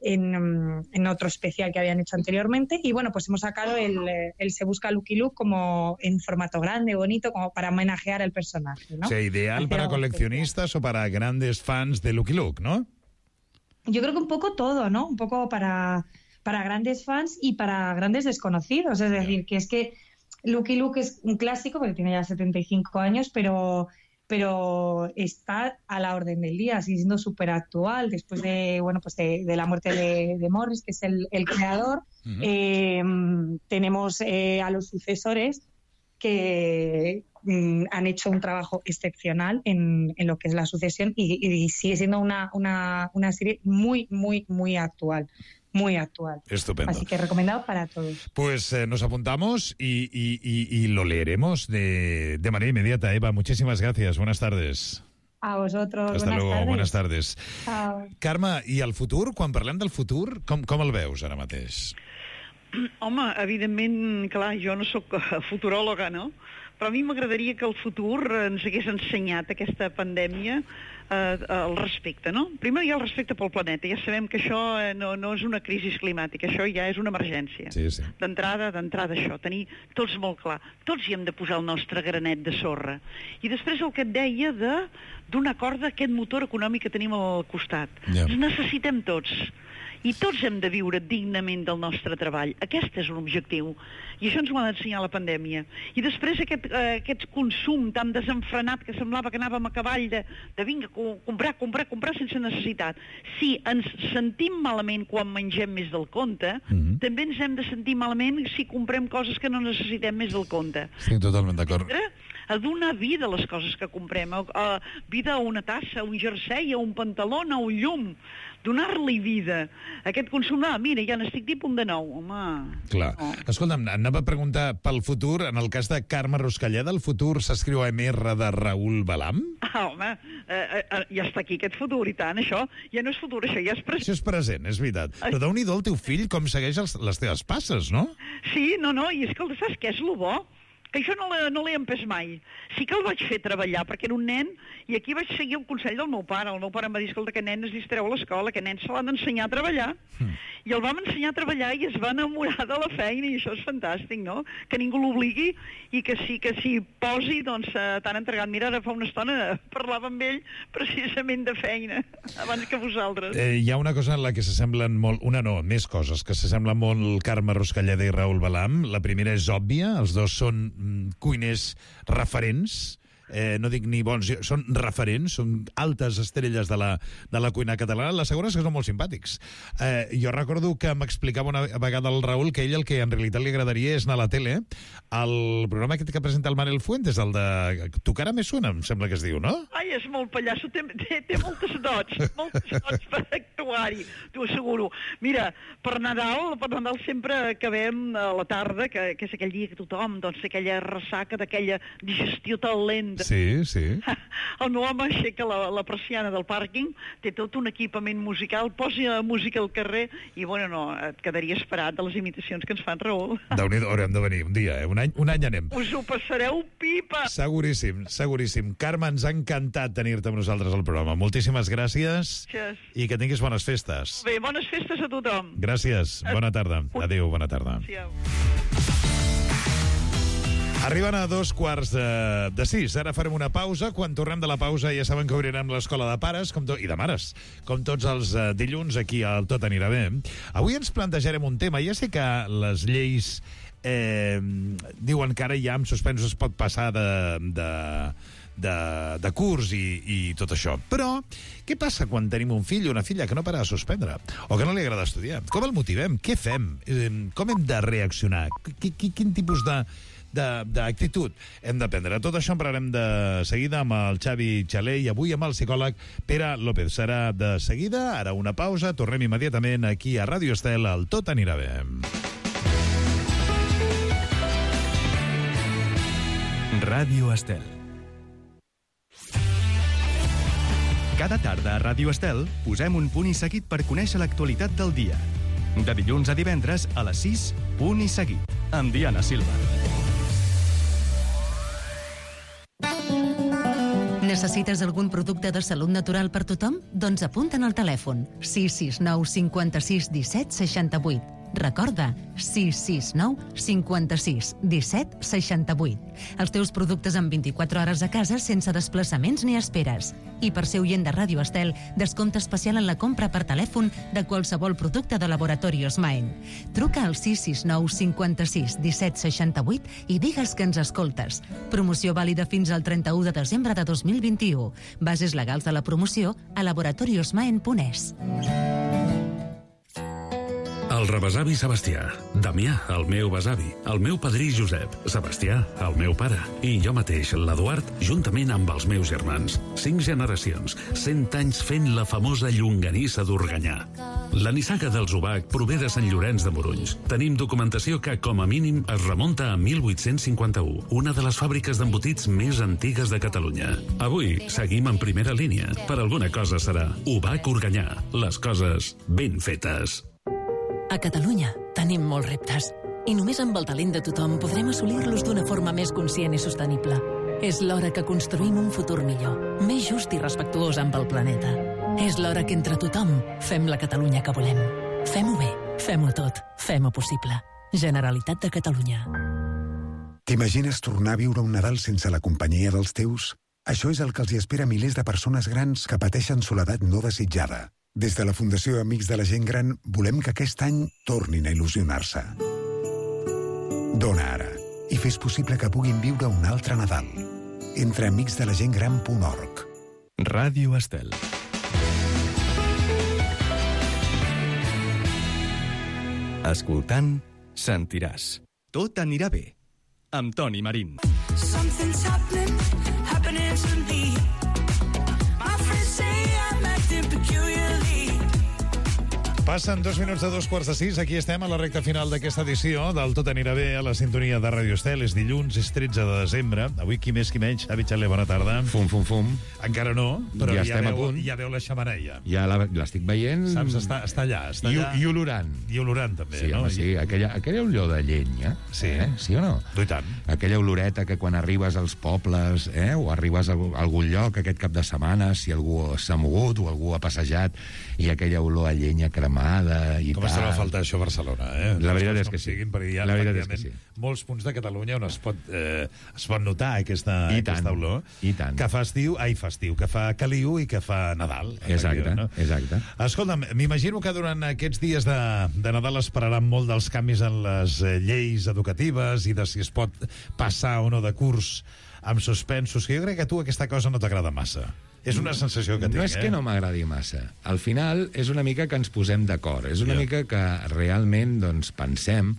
En, en otro especial que habían hecho anteriormente, y bueno, pues hemos sacado el, el Se Busca Lucky Luke como en formato grande, bonito, como para homenajear al personaje, ¿no? O sea, ideal Hacer para coleccionistas especial. O para grandes fans de Lucky Luke, ¿no? Yo creo que un poco todo, ¿no? Un poco para, para grandes fans y para grandes desconocidos, es decir, que es que Lucky Luke es un clásico, porque tiene ya setenta y cinco años, pero... pero está a la orden del día, sigue siendo súper actual después de, bueno, pues de, de la muerte de, de Morris, que es el, el creador. Uh-huh. eh, tenemos eh, a los sucesores que mm, han hecho un trabajo excepcional en, en lo que es la sucesión y, y sigue siendo una, una, una serie muy, muy, muy actual. Muy actual. Estupendo. Así que recomendado para todos. Pues eh, nos apuntamos y, y, y, y lo leeremos de, de manera inmediata. Eva, muchísimas gracias. Buenas tardes. A vosotros. Hasta buenas luego. Tardes. Buenas tardes. Chao. Carme, i el futur? Quan parlem del futur, com, com el veus ara mateix? Home, evidentment, clar, jo no sóc futuròloga, no? Però a mi m'agradaria que el futur ens hagués ensenyat aquesta pandèmia eh, el respecte, no? Primer hi ha el respecte pel planeta. Ja sabem que això no, no és una crisi climàtica, això ja és una emergència. Sí, sí. D'entrada, d'entrada això, tenir tots molt clar. Tots hi hem de posar el nostre granet de sorra. I després el que et deia de donar corda a aquest motor econòmic que tenim al costat. Ja. Ens necessitem tots. I tots hem de viure dignament del nostre treball. Aquest és un objectiu. I això ens ho ha d'ensenyar la pandèmia. I després aquest, eh, aquest consum tan desenfrenat que semblava que anàvem a cavall de, de vinga, comprar, comprar, comprar sense necessitat. Si ens sentim malament quan mengem més del compte, mm-hmm. també ens hem de sentir malament si comprem coses que no necessitem més del compte. Estic totalment d'acord. A donar vida a les coses que comprem, a, a vida a una tassa, a un jersei, a un pantaló, a un llum, donar-li vida. Aquest consum, ah, mira, ja n'estic tipus de nou, home. Clar. No. Escolta'm, anava a preguntar pel futur, en el cas de Carme Ruscalleda, el futur s'escriu a M R de Raül Balam? Ah, home, eh, eh, ja està aquí aquest futur, i tant, això ja no és futur, això ja és present. Això és present, és veritat. Però déu-n'hi-do el teu fill com segueix els, les teves passes, no? Sí, no, no, i escolta, saps què és lo bo? Que això no l'he no empès mai. Sí que el vaig fer treballar, perquè era un nen, i aquí vaig seguir el consell del meu pare. El meu pare em va dir, escolta, que nen es distreu a l'escola, que nen se l'han d'ensenyar a treballar. Mm. I el vam ensenyar a treballar i es va enamorar de la feina, i això és fantàstic, no? Que ningú l'obligui i que sí que s'hi posi, doncs, tan entregat. Mira, ara fa una estona parlava amb ell precisament de feina, abans que vosaltres. Eh, hi ha una cosa en la que s'assemblen molt... Una no, més coses, que s'assemblen molt Carme Ruscalleda i Raül Balam. La primera és òbvia, els dos són cuiners referents, eh, no dic ni bons, són referents, són altes estrelles de la, de la cuina catalana. La segona és que són molt simpàtics. Eh, jo recordo que m'explicava una vegada el Raül que ell el que en realitat li agradaria és anar a la tele, al programa aquest que presenta el Manel Fuentes, el de Tu cara me suena, em sembla que es diu, no? Ai, és molt pallasso, té, té, té moltes dots, moltes dots per actuar-hi, t'ho asseguro. Mira, per Nadal, per Nadal sempre acabem a la tarda, que, que és aquell dia que tothom, doncs, aquella ressaca d'aquella digestió tan lenta, De... Sí, sí. El meu home aixeca la, la persiana del pàrquing, té tot un equipament musical, posa música al carrer i, bueno, no, et quedaries parat de les imitacions que ens fan, Raül. Déu-n'hi-do, haurem de venir un dia, eh? Un any, un any anem. Us ho passareu pipa! Seguríssim, seguríssim. Carme, ens ha encantat tenir-te amb nosaltres al programa. Moltíssimes gràcies. Gràcies. I que tinguis bones festes. Bé, bones festes a tothom. Gràcies, bona tarda. Adéu, bona tarda. Adéu. Arriben a dos quarts de, de sis. Ara farem una pausa. Quan tornem de la pausa ja saben que obrirem l'escola de pares com to, i de mares, com tots els uh, dilluns aquí al Tot Anirà Bé. Avui ens plantejarem un tema. Ja sé que les lleis eh, diuen que ara ja amb suspensos es pot passar de... de De, de curs i, i tot això. Però què passa quan tenim un fill o una filla que no para de suspendre? O que no li agrada estudiar? Com el motivem? Què fem? Com hem de reaccionar? Qu -qu Quin tipus de d'actitud hem de prendre? Tot això en parlarem de seguida amb el Xavi Xaler i avui amb el psicòleg Pere López. Serà de seguida, ara una pausa, tornem immediatament aquí a Ràdio Estel, al Tot Anirà Bé. Ràdio Estel. Cada tarda a Ràdio Estel posem un punt i seguit per conèixer l'actualitat del dia. De dilluns a divendres a les sis, punt i seguit, amb Diana Silva. Necessites algun producte de salut natural per tothom? Doncs apunta'n al telèfon sis sis nou cinquanta-sis disset seixanta-vuit. Recorda, sis sis nou cinquanta-sis disset seixanta-vuit. Els teus productes en vint-i-quatre hores a casa sense desplaçaments ni esperes. I per ser oient de Ràdio Estel, descompte especial en la compra per telèfon de qualsevol producte de Laboratorios Maen. Truca al sis sis nou cinquanta-sis disset seixanta-vuit i digues que ens escoltes. Promoció vàlida fins al trenta-u de desembre de dos mil vint-i-u. Bases legals de la promoció a laboratoriosmaen punt es. El rebesavi Sebastià, Damià, el meu besavi, el meu padrí Josep, Sebastià, el meu pare, i jo mateix, l'Eduard, juntament amb els meus germans. Cinc generacions, cent anys fent la famosa llonganissa d'Organyà. La nissaga dels Ubac prové de Sant Llorenç de Morunys. Tenim documentació que, com a mínim, es remunta a mil vuit-cents cinquanta-u, una de les fàbriques d'embotits més antigues de Catalunya. Avui seguim en primera línia. Per alguna cosa serà Ubac Organyà. Les coses ben fetes. A Catalunya tenim molts reptes i només amb el talent de tothom podrem assolir-los d'una forma més conscient i sostenible. És l'hora que construïm un futur millor, més just i respectuós amb el planeta. És l'hora que entre tothom fem la Catalunya que volem. Fem-ho bé, fem-ho tot, fem-ho possible. Generalitat de Catalunya. T'imagines tornar a viure un Nadal sense la companyia dels teus? Això és el que els hi espera a milers de persones grans que pateixen soledat no desitjada. Des de la Fundació Amics de la Gent Gran volem que aquest any tornin a il·lusionar-se. Dona ara i fes possible que puguin viure un altre Nadal. Entra a amics de la gent gran punt org. Ràdio Estel. Escoltant, sentiràs. Tot anirà bé. Amb Toni Marín. Something's happening, happening to me. My friends say I'm acting peculiarly. Passen dos minuts de dos quarts de sis. Aquí estem a la recta final d'aquesta edició del Tot Anirà Bé a la sintonia de Ràdio Estel. És dilluns, és tretze de desembre. Avui qui més qui menys. Xavi Xaler, bona tarda. Fum, fum, fum. Encara no, però ja, ja, estem veu, a punt. ja veu la xemeneia. Ja l'estic veient. Saps? Està, està allà. Està I, allà. I olorant. I olorant, també, sí, no? Home, sí, aquella, aquella olor de llenya. Sí. Eh? Sí o no? I tant. Aquella oloreta que quan arribes als pobles, eh, o arribes a algun lloc aquest cap de setmana, si algú s'ha mogut o algú ha passejat, i aquella olor a llenya cremada i com tal. es troba a faltar això a Barcelona, eh? La veritat és que sí. Siguin, perquè hi ha la veritat és que sí. molts punts de Catalunya on es pot, eh, es pot notar aquesta, I aquesta tant, olor. I tant. Que fa estiu, ai, fa estiu, que fa caliu i que fa Nadal. Exacte, no? exacte. Escolta'm, m'imagino que durant aquests dies de, de Nadal es pararan molt dels canvis en les eh, lleis educatives i de si es pot passar o no de curs amb suspensos, que jo crec que a tu aquesta cosa no t'agrada massa. És una sensació que tinc, No és eh? que no m'agradi massa. Al final és una mica que ens posem d'acord. És una Ja. mica que realment doncs, pensem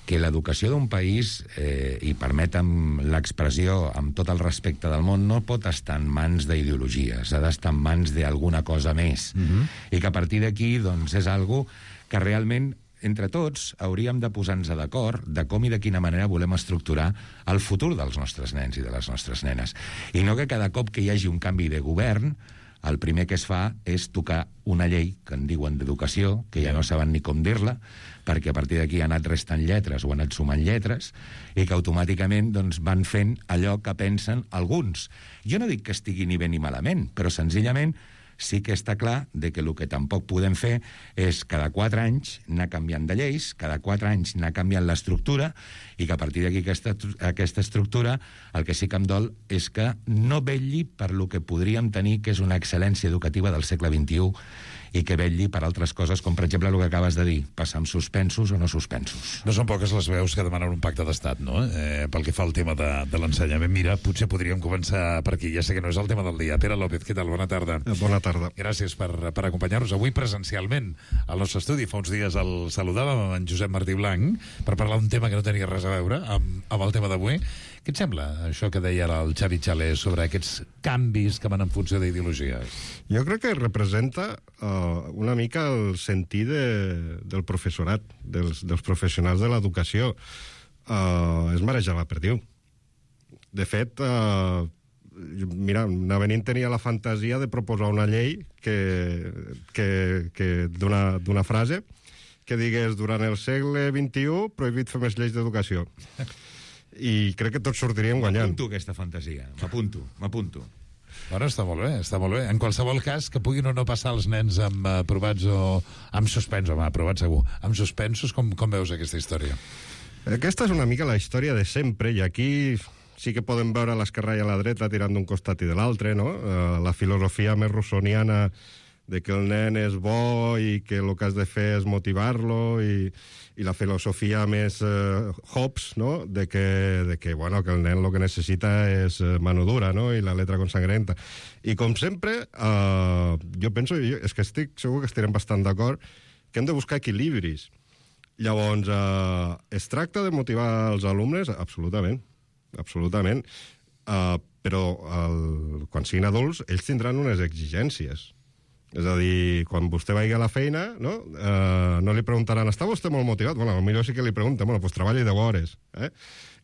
que l'educació d'un país, eh, i permetem l'expressió amb tot el respecte del món, no pot estar en mans d'ideologies, ha d'estar en mans d'alguna cosa més. Mhm. I que a partir d'aquí doncs, és algo que realment entre tots, hauríem de posar-nos d'acord de com i de quina manera volem estructurar el futur dels nostres nens i de les nostres nenes. I no que cada cop que hi hagi un canvi de govern, el primer que es fa és tocar una llei que en diuen d'educació, que ja no saben ni com dir-la, perquè a partir d'aquí ha anat restant lletres o ha anat sumant lletres, i que automàticament doncs, van fent allò que pensen alguns. Jo no dic que estigui ni bé ni malament, però senzillament sí que està clar de que el que tampoc podem fer és cada quatre anys anar canviant de lleis, cada quatre anys anar canviant l'estructura, i que a partir d'aquí aquesta, aquesta estructura el que sí que em dol és que no vetlli per lo que podríem tenir, que és una excel·lència educativa del segle vint-i-u, i que vetlli per altres coses, com per exemple el que acabes de dir, passar amb suspensos o no suspensos. No són poques les veus que demanen un pacte d'estat, no? Eh, pel que fa al tema de, de l'ensenyament. Mira, potser podríem començar per aquí. Ja sé que no és el tema del dia. Pere López, què tal? Bona tarda. Eh, bona tarda. Gràcies per, per acompanyar-nos avui presencialment al nostre estudi. Fa uns dies el saludàvem amb en Josep Martí Blanc per parlar d'un tema que no tenia res a veure amb, amb el tema d'avui. Què et sembla, això que deia ara el Xavi Xalés sobre aquests canvis que van en funció d'ideologies? Jo crec que representa uh, una mica el sentir de, del professorat, dels, dels professionals de l'educació. Uh, és marejar la perdiu. De fet, uh, mira, Navenín tenia la fantasia de proposar una llei que, que, que d'una frase que digués durant el segle vint-i-u prohibit fer més lleis d'educació. I crec que tots sortiríem guanyant. M'apunto aquesta fantasia, m'apunto, m'apunto. Bueno, està molt bé, està molt bé. En qualsevol cas, que puguin o no passar els nens amb aprovats o amb suspensos, home, aprovats segur. Amb suspensos, com, com veus aquesta història? Aquesta és una mica la història de sempre, i aquí sí que podem veure l'esquerra i a la dreta tirant d'un costat i de l'altre, no? Uh, la filosofia més russoniana de que el nen és bo i que el que has de fer és motivar-lo, i, i la filosofia més eh, Hobbes, no? de, que, de que, bueno, que el nen el que necessita és eh, mano dura, no? I la letra consangrenta. I com sempre, eh, jo penso, jo, és que estic segur que estarem bastant d'acord, que hem de buscar equilibris. Llavors, eh, es tracta de motivar els alumnes? Absolutament, absolutament. Eh, però el, quan siguin adults, ells tindran unes exigències. És a dir, quan vostè vagi a la feina, no, eh, no li preguntaran, està vostè molt motivat? Bueno, potser sí que li pregunten, bueno, doncs treballi deu hores. Eh?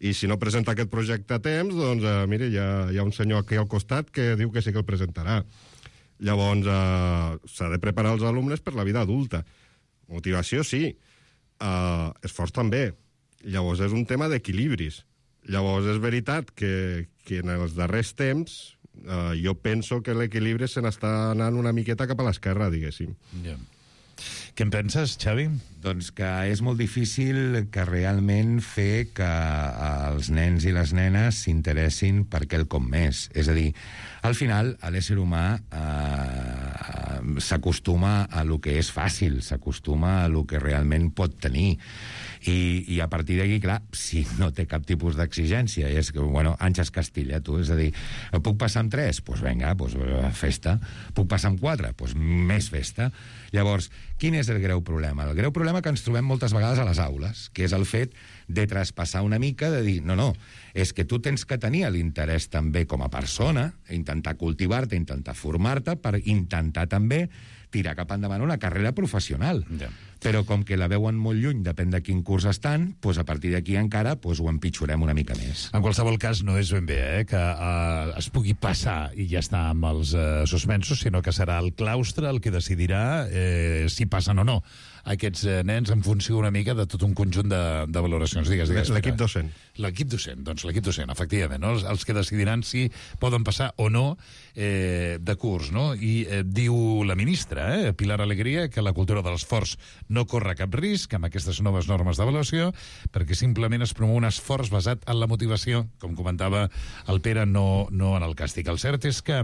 I si no presenta aquest projecte a temps, doncs, eh, mire, hi ha, hi ha un senyor aquí al costat que diu que sí que el presentarà. Llavors, eh, s'ha de preparar els alumnes per la vida adulta. Motivació, sí. Eh, esforç, també. Llavors, és un tema d'equilibris. Llavors, és veritat que, que en els darrers temps Uh, jo penso que l'equilibri se n'està anant una miqueta cap a l'esquerra, diguéssim. Yeah. Què en penses, Xavi? Doncs que és molt difícil que realment fer que els nens i les nenes s'interessin per quelcom més. És a dir, al final, l'ésser humà eh, s'acostuma a lo que és fàcil, s'acostuma a lo que realment pot tenir. I, i a partir d'aquí, clar, si no té cap tipus d'exigència, és que, bueno, Àngels Castilla, tu, és a dir, puc passar amb tres? Doncs pues vinga, pues festa. Puc passar amb quatre? Doncs pues més festa. Llavors, quin és el greu problema? El greu problema que ens trobem moltes vegades a les aules, que és el fet de traspassar una mica, de dir, no, no, és que tu tens que tenir l'interès també com a persona, intentar cultivar-te, intentar formar-te, per intentar també tirar cap endavant una carrera professional. Yeah. Però com que la veuen molt lluny, depèn de quin curs estan, doncs a partir d'aquí encara doncs ho empitjorem una mica més. En qualsevol cas, no és ben bé eh, que uh, es pugui passar i ja està amb els uh, suspensos, sinó que serà el claustre el que decidirà eh, si passen o no aquests eh, nens en funció una mica de tot un conjunt de, de valoracions. Digues, digues. L'equip docent. L'equip docent, doncs l'equip docent, efectivament, no? els, els que decidiran si poden passar o no eh, de curs, no? I eh, diu la ministra, eh, Pilar Alegría, que la cultura de l'esforç no corre cap risc amb aquestes noves normes d'avaluació, perquè simplement es promou un esforç basat en la motivació, com comentava el Pere, no, no en el càstig. El cert és que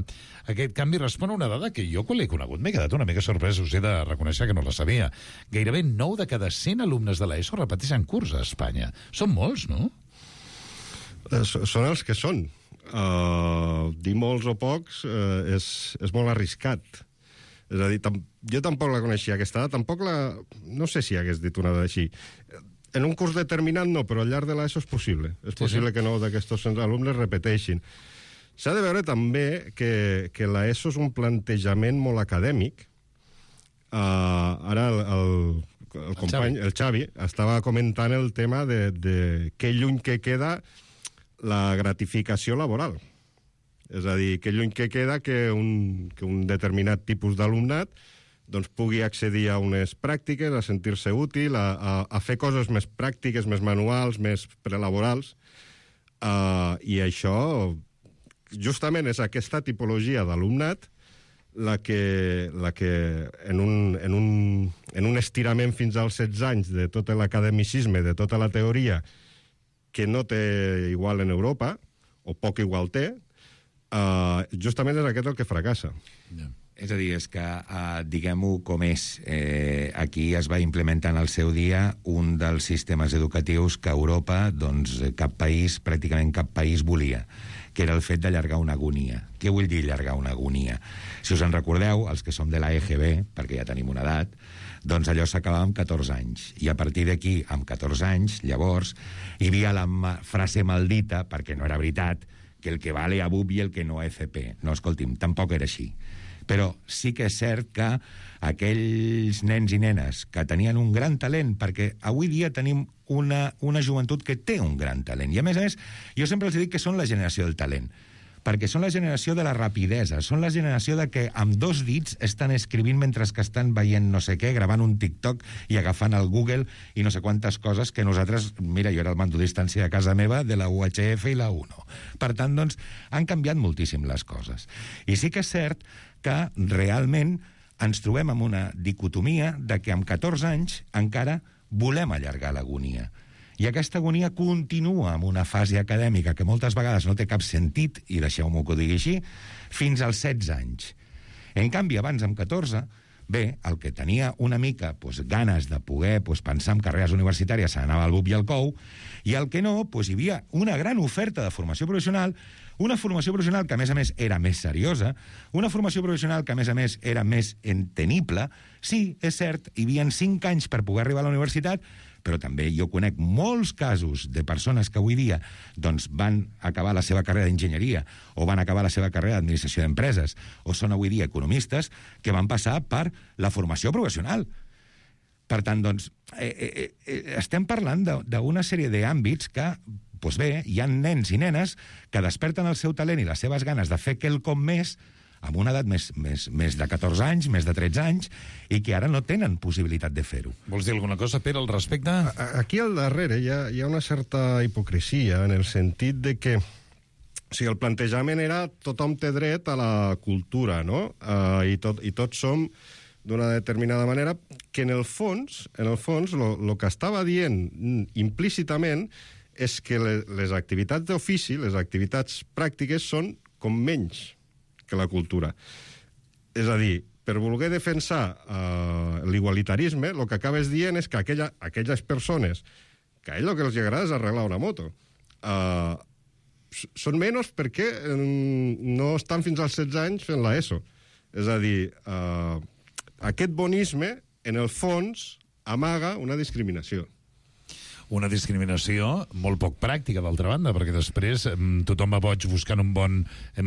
aquest canvi respon a una dada que jo, quan l'he conegut, m'he quedat una mica sorprès, us he de reconèixer que no la sabia. Gairebé nou de cada cent alumnes de l'ESO repeteixen curs a Espanya. Són molts, no? Eh, són els que són. Uh, dir molts o pocs uh, és, és molt arriscat. És a dir, tam jo tampoc la coneixia, aquesta dada, tampoc la... No sé si hagués dit una dada així. En un curs determinat no, però al llarg de l'ESO és possible. És possible sí, sí. que nou d'aquests alumnes repeteixin. S'ha de veure també que, que l'ESO és un plantejament molt acadèmic. Uh, ara, el, el, el company, el Xavi, estava comentant el tema de, de que lluny que queda la gratificació laboral. És a dir, que lluny que queda que un, que un determinat tipus d'alumnat doncs, pugui accedir a unes pràctiques, a sentir-se útil, a, a, a fer coses més pràctiques, més manuals, més prelaborals. Uh, I això, justament, és aquesta tipologia d'alumnat la que, la que en, un, en, un, en un estirament fins als setze anys de tot l'academicisme, de tota la teoria, que no té igual en Europa, o poc igual té, uh, justament és aquest el que fracassa. Yeah. És a dir, és que, uh, diguem-ho com és, eh, aquí es va implementar en el seu dia un dels sistemes educatius que a Europa, doncs, cap país, pràcticament cap país volia, que era el fet d'allargar una agonia. Què vull dir allargar una agonia? Si us en recordeu, els que som de l'A E G B, perquè ja tenim una edat, doncs allò s'acabava amb catorze anys. I a partir d'aquí, amb catorze anys, llavors, hi havia la ma- frase maldita, perquè no era veritat, que el que vale a B U P i el que no a F P. No, escolti'm, tampoc era així. Però sí que és cert que aquells nens i nenes que tenien un gran talent, perquè avui dia tenim una, una joventut que té un gran talent, i a més a més, jo sempre els dic que són la generació del talent, perquè són la generació de la rapidesa, són la generació de que amb dos dits estan escrivint mentre que estan veient no sé què, gravant un TikTok i agafant el Google i no sé quantes coses que nosaltres, mira, jo era el mando a distància de casa meva de la U H F i la UNO. Per tant, doncs, han canviat moltíssim les coses. I sí que és cert que realment ens trobem amb una dicotomia de que amb catorze anys encara volem allargar l'agonia. I aquesta agonia continua amb una fase acadèmica que moltes vegades no té cap sentit, i deixeu-m'ho que ho digui així, fins als setze anys. En canvi, abans, amb catorze, bé, el que tenia una mica pues, ganes de poder pues, pensar en carreres universitàries s'anava al B U P i al C O U, i el que no, pues, hi havia una gran oferta de formació professional, una formació professional que, a més a més, era més seriosa, una formació professional que, a més a més, era més entenible. Sí, és cert, hi havia cinc anys per poder arribar a la universitat, però també jo conec molts casos de persones que avui dia doncs, van acabar la seva carrera d'enginyeria o van acabar la seva carrera d'administració d'empreses o són avui dia economistes que van passar per la formació professional. Per tant, doncs, eh, eh, eh, estem parlant d'una sèrie d'àmbits que, doncs bé, hi ha nens i nenes que desperten el seu talent i les seves ganes de fer quelcom més amb una edat més, més, més de catorze anys, més de tretze anys, i que ara no tenen possibilitat de fer-ho. Vols dir alguna cosa, Pere, al respecte? Aquí al darrere hi ha, hi ha una certa hipocresia en el sentit de que o sigui, el plantejament era tothom té dret a la cultura, no? Uh, i, tot, I tots som d'una determinada manera, que en el fons, en el fons, el que estava dient implícitament és que les, les activitats d'ofici, les activitats pràctiques, són com menys que la cultura. És a dir, per voler defensar uh, l'igualitarisme, el que acabes dient és que aquella, aquelles persones que a ell el que els agrada és arreglar una moto, uh, són menys perquè no estan fins als setze anys fent l'ESO. És a dir, uh, aquest bonisme, en el fons, amaga una discriminació. Una discriminació molt poc pràctica, d'altra banda, perquè després tothom va boig buscant un bon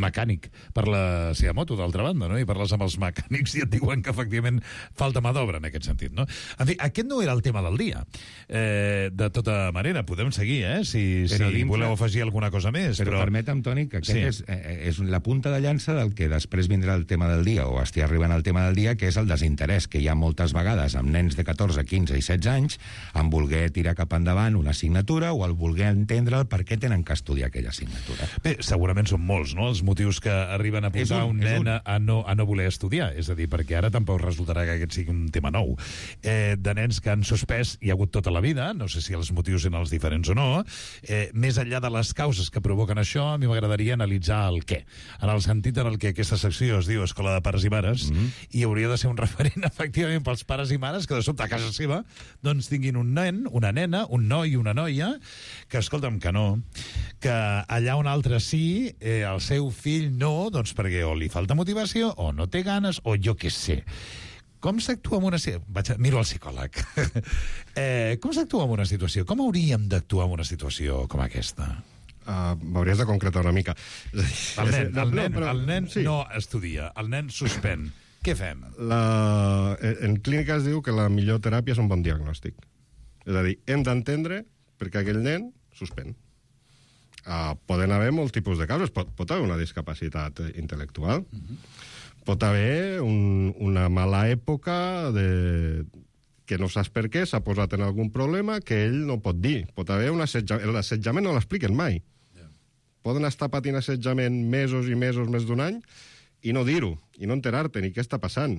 mecànic per la seva moto, d'altra banda, no? I parles amb els mecànics i et diuen que, efectivament, falta mà d'obra en aquest sentit, no? En fi, aquest no era el tema del dia. Eh, de tota manera, podem seguir, eh? Si, si dintre... voleu afegir alguna cosa més. Però, però... permetem, Toni, que aquest sí. és, eh, és la punta de llança del que després vindrà el tema del dia, o estigui arribant al tema del dia, que és el desinterès que hi ha moltes vegades amb nens de catorze, quinze i setze anys en voler tirar cap endavant una assignatura o el voler entendre el per què tenen que estudiar aquella assignatura. Bé, segurament són molts, no?, els motius que arriben a posar un, un nen un. A, no, a no voler estudiar. És a dir, perquè ara tampoc resultarà que aquest sigui un tema nou. Eh, de nens que han suspès hi ha hagut tota la vida, no sé si els motius eren els diferents o no, eh, més enllà de les causes que provoquen això, a mi m'agradaria analitzar el què. En el sentit en el que aquesta secció es diu Escola de Pares i Mares, mm-hmm. i hauria de ser un referent, efectivament, pels pares i mares que de sobte a casa seva doncs tinguin un nen, una nena, un noi i una noia, que, escolta'm, que no, que allà un altre sí, eh, el seu fill no, doncs perquè o li falta motivació, o no té ganes, o jo què sé. Com s'actua en una... Vaig a... Miro al psicòleg. eh, com s'actua en una situació? Com hauríem d'actuar en una situació com aquesta? Uh, m'hauries de concretar una mica. El nen, el nen, el nen sí. no estudia, el nen suspèn. Què fem? La... En clínica es diu que la millor teràpia és un bon diagnòstic. És a dir, hem d'entendre per què aquell nen suspèn. Uh, poden haver molts tipus de causes. Pot, pot haver una discapacitat intel·lectual. Uh-huh. Pot haver un, una mala època de... que no saps per què, s'ha posat en algun problema que ell no pot dir. Pot haver un assetjament. L'assetjament no l'expliquen mai. Yeah. Poden estar patint assetjament mesos i mesos, més d'un any, i no dir-ho, i no enterar-te ni què està passant.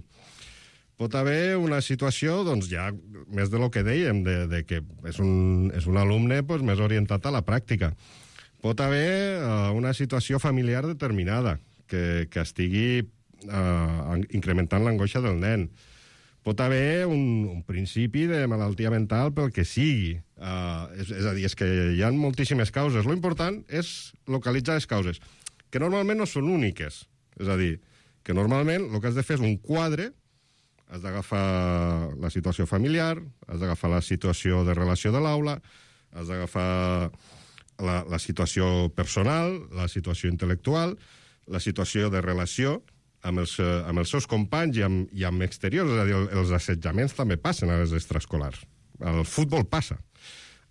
Pot haver una situació, doncs ja, més de lo que dèiem, de, de que és un, és un alumne pues, més orientat a la pràctica. Pot haver uh, una situació familiar determinada que, que estigui uh, incrementant l'angoixa del nen. Pot haver un, un principi de malaltia mental pel que sigui. Uh, és, és a dir, és que hi ha moltíssimes causes. Lo important és localitzar les causes, que normalment no són úniques. És a dir, que normalment el que has de fer és un quadre, has d'agafar la situació familiar, has d'agafar la situació de relació de l'aula, has d'agafar la, la situació personal, la situació intel·lectual, la situació de relació amb els, amb els seus companys i amb, i amb exteriors. És a dir, els assetjaments també passen a les extraescolars. El futbol passa.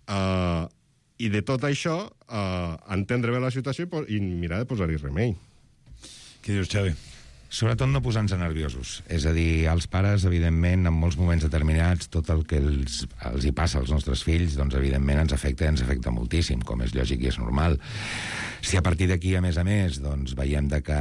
Uh, I de tot això, uh, entendre bé la situació i mirar de posar-hi remei. Què dius, Xavi? Sobretot no posar-nos nerviosos. És a dir, els pares, evidentment, en molts moments determinats, tot el que els, els hi passa als nostres fills, doncs, evidentment, ens afecta ens afecta moltíssim, com és lògic i és normal. Si a partir d'aquí, a més a més, doncs, veiem de que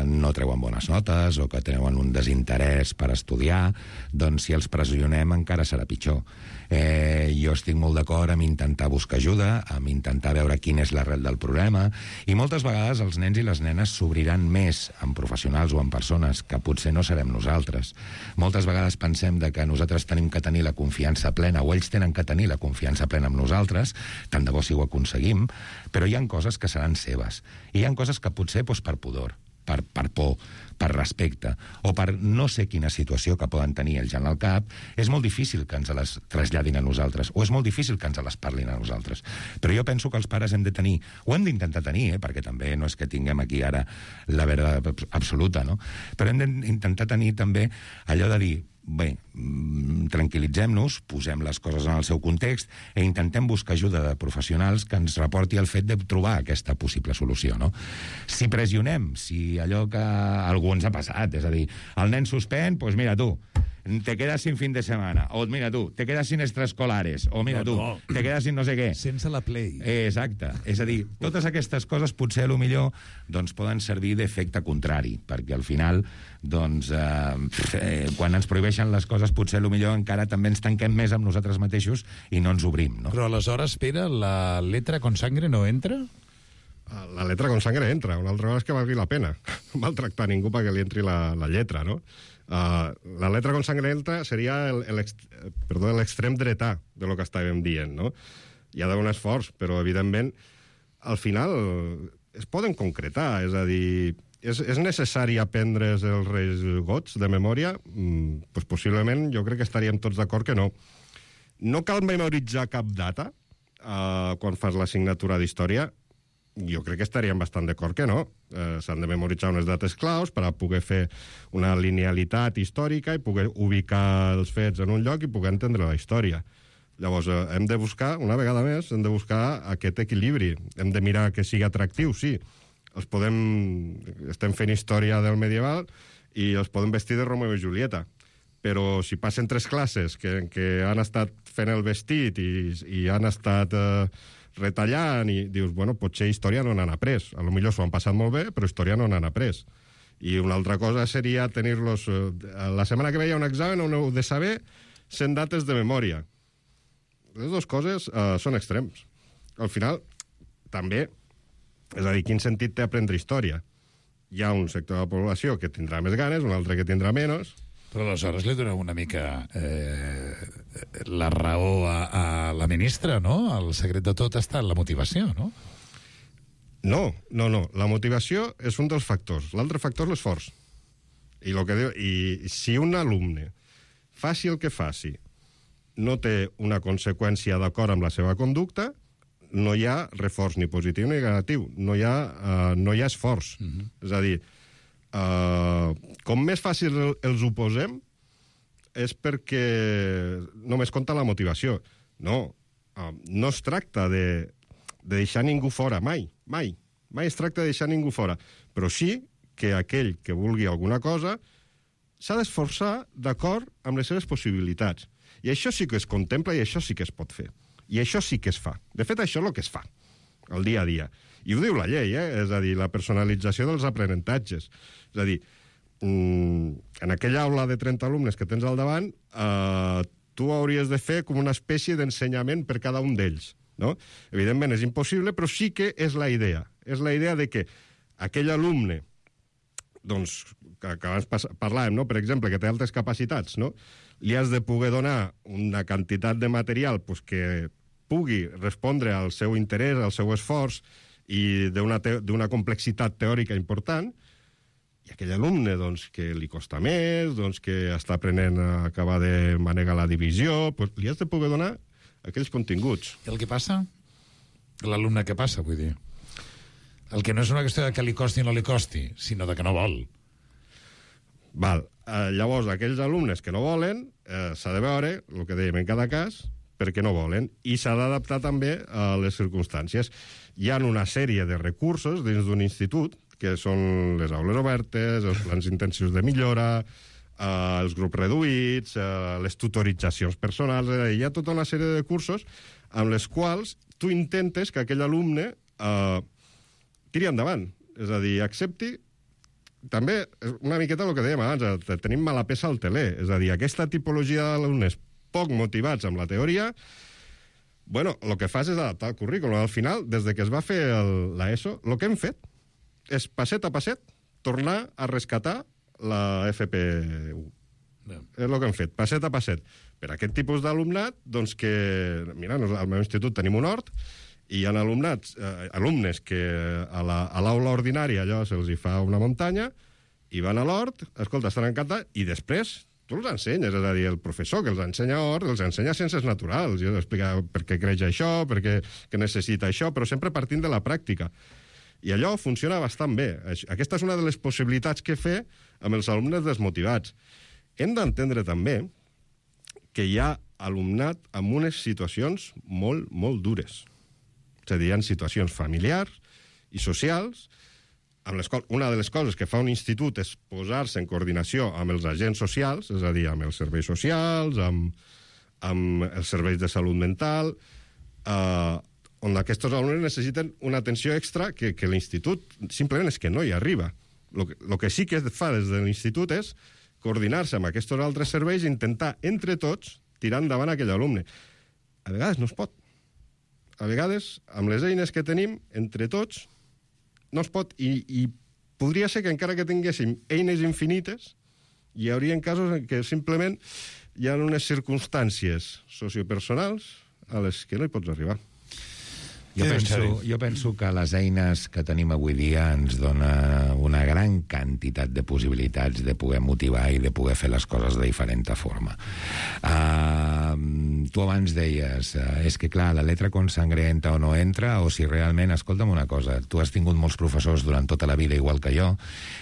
no treuen bones notes o que treuen un desinterès per estudiar, doncs, si els pressionem encara serà pitjor. Eh, jo estic molt d'acord amb intentar buscar ajuda, amb intentar veure quin és l'arrel del problema, i moltes vegades els nens i les nenes s'obriran més amb professionals o amb persones que potser no serem nosaltres. Moltes vegades pensem de que nosaltres tenim que tenir la confiança plena, o ells tenen que tenir la confiança plena amb nosaltres, tant de bo si ho aconseguim, però hi ha coses que seran seves, i hi ha coses que potser doncs, per pudor, per, per por, per respecte, o per no sé quina situació que poden tenir ells en el cap, és molt difícil que ens les traslladin a nosaltres, o és molt difícil que ens les parlin a nosaltres. Però jo penso que els pares hem de tenir, o hem d'intentar tenir, eh, perquè també no és que tinguem aquí ara la veritat absoluta, no? Però hem d'intentar tenir també allò de dir, bé, tranquil·litzem-nos, posem les coses en el seu context i intentem buscar ajuda de professionals que ens reporti el fet de trobar aquesta possible solució, no? Si pressionem, si allò que a algú ens ha passat, és a dir, el nen suspèn, doncs mira tu, te quedas sin fin de semana, o mira tu, te quedas sin extraescolares, o mira no, tu, no. te quedas sin no sé què. Sense la play. Eh, exacte. És a dir, totes aquestes coses potser a lo millor doncs, poden servir d'efecte contrari, perquè al final, doncs, eh, eh, quan ens prohibeixen les coses, potser a lo millor encara també ens tanquem més amb nosaltres mateixos i no ens obrim, no? Però aleshores, Pere, la letra con sangre no entra? La letra con sangre entra. Una altra cosa és que valgui la pena maltractar ningú perquè li entri la, la lletra, no? Uh, la letra con sangre entra seria l'extrem dretà de lo que estàvem dient, no? Hi ha d'haver un esforç, però evidentment al final es poden concretar, és a dir, és, és necessari aprendre els Reis Gots de memòria? Mm, pues possiblement jo crec que estaríem tots d'acord que no. No cal memoritzar cap data uh, quan fas l'assignatura d'història. Jo crec que estaríem bastant d'acord que no. Eh, s'han de memoritzar unes dates claus per a poder fer una linealitat històrica i poder ubicar els fets en un lloc i poder entendre la història. Llavors, eh, hem de buscar, una vegada més, hem de buscar aquest equilibri. Hem de mirar que sigui atractiu, sí. Els podem... Estem fent història del medieval i els podem vestir de Romeo i Julieta. Però si passen tres classes que, que han estat fent el vestit i, i han estat... Eh, retallant i dius, bueno, potser història no n'han après. A lo millor s'ho han passat molt bé, però història no n'han après. I una altra cosa seria tenir-los... La setmana que ve hi ha un examen on heu de saber cent dates de memòria. Les dues coses uh, són extrems. Al final, també, és a dir, quin sentit té aprendre història? Hi ha un sector de la població que tindrà més ganes, un altre que tindrà menys. Però aleshores li doneu una mica eh, la raó a, a la ministra, no? El secret de tot està en la motivació, no? No, no, no. La motivació és un dels factors. L'altre factor és l'esforç. I, lo que diu, I si un alumne, faci el que faci, no té una conseqüència d'acord amb la seva conducta, no hi ha reforç ni positiu ni negatiu. No hi ha, uh, no hi ha esforç. Uh-huh. És a dir, Uh, com més fàcil els ho posem, és perquè només compta la motivació. No, uh, no es tracta de, de deixar ningú fora, mai, mai. Mai es tracta de deixar ningú fora. Però sí que aquell que vulgui alguna cosa s'ha d'esforçar d'acord amb les seves possibilitats. I això sí que es contempla i això sí que es pot fer. I això sí que es fa. De fet, això és el que es fa, el dia a dia. I ho diu la llei, eh? És a dir, la personalització dels aprenentatges. És a dir, en aquella aula de trenta alumnes que tens al davant, eh, tu hauries de fer com una espècie d'ensenyament per cada un d'ells. No? Evidentment és impossible, però sí que és la idea. És la idea de que aquell alumne, doncs, que, que abans parlàvem, no? Per exemple, que té altres capacitats, no? Li has de poder donar una quantitat de material pues, que pugui respondre al seu interès, al seu esforç i d'una complexitat teòrica important, i aquell alumne doncs, que li costa més, doncs, que està aprenent a acabar de manegar la divisió, pues, li has de poder donar aquells continguts. I el que passa? L'alumne que passa, vull dir. El que no és una qüestió de que li costi o no li costi, sinó de que no vol. Val. Eh, llavors, aquells alumnes que no volen, eh, s'ha de veure, el que dèiem en cada cas, perquè no volen, i s'ha d'adaptar també a les circumstàncies. Hi ha una sèrie de recursos dins d'un institut, que són les aules obertes, els plans intensius de millora, eh, els grups reduïts, eh, les tutoritzacions personals, eh, hi ha tota una sèrie de cursos amb les quals tu intentes que aquell alumne eh, tiri endavant, és a dir, accepti. També, una miqueta el que dèiem abans, tenim mala peça al teler, és a dir, aquesta tipologia d'alumnes poc motivats amb la teoria, bueno, el que fas és adaptar el currículum. Al final, des de que es va fer l'ESO, el que hem fet és, passet a passet, tornar a rescatar la F P u. No. És el que hem fet, passet a passet. Per aquest tipus d'alumnat, doncs que... Mira, al meu institut tenim un hort, i hi ha alumnats, eh, alumnes que a l'aula ordinària allò se'ls hi fa una muntanya, i van a l'hort, escolta, estan encantats, i després tu els ensenyes, és a dir, el professor que els ensenya hort, els ensenya ciències naturals, i els explica per què creix això, per què que necessita això, però sempre partint de la pràctica. I allò funciona bastant bé. Aquesta és una de les possibilitats que fer amb els alumnes desmotivats. Hem d'entendre també que hi ha alumnat amb unes situacions molt, molt dures. És a dir, hi ha situacions familiars i socials, amb les quals una de les coses que fa un institut és posar-se en coordinació amb els agents socials, és a dir, amb els serveis socials, amb, amb els serveis de salut mental, eh, on aquests alumnes necessiten una atenció extra que, que l'institut simplement és que no hi arriba. El que, lo que sí que es fa des de l'institut és coordinar-se amb aquests altres serveis i intentar, entre tots, tirar endavant aquell alumne. A vegades no es pot. A vegades, amb les eines que tenim, entre tots, no es pot, i, i podria ser que encara que tinguéssim eines infinites, hi haurien casos en què simplement hi ha unes circumstàncies sociopersonals a les que no hi pots arribar. Jo penso, jo penso que les eines que tenim avui dia ens dona una gran quantitat de possibilitats de poder motivar i de poder fer les coses de diferent forma. Uh, tu abans deies, uh, és que clar, la letra consangrenta o no entra, o si realment, escolta'm una cosa, tu has tingut molts professors durant tota la vida igual que jo,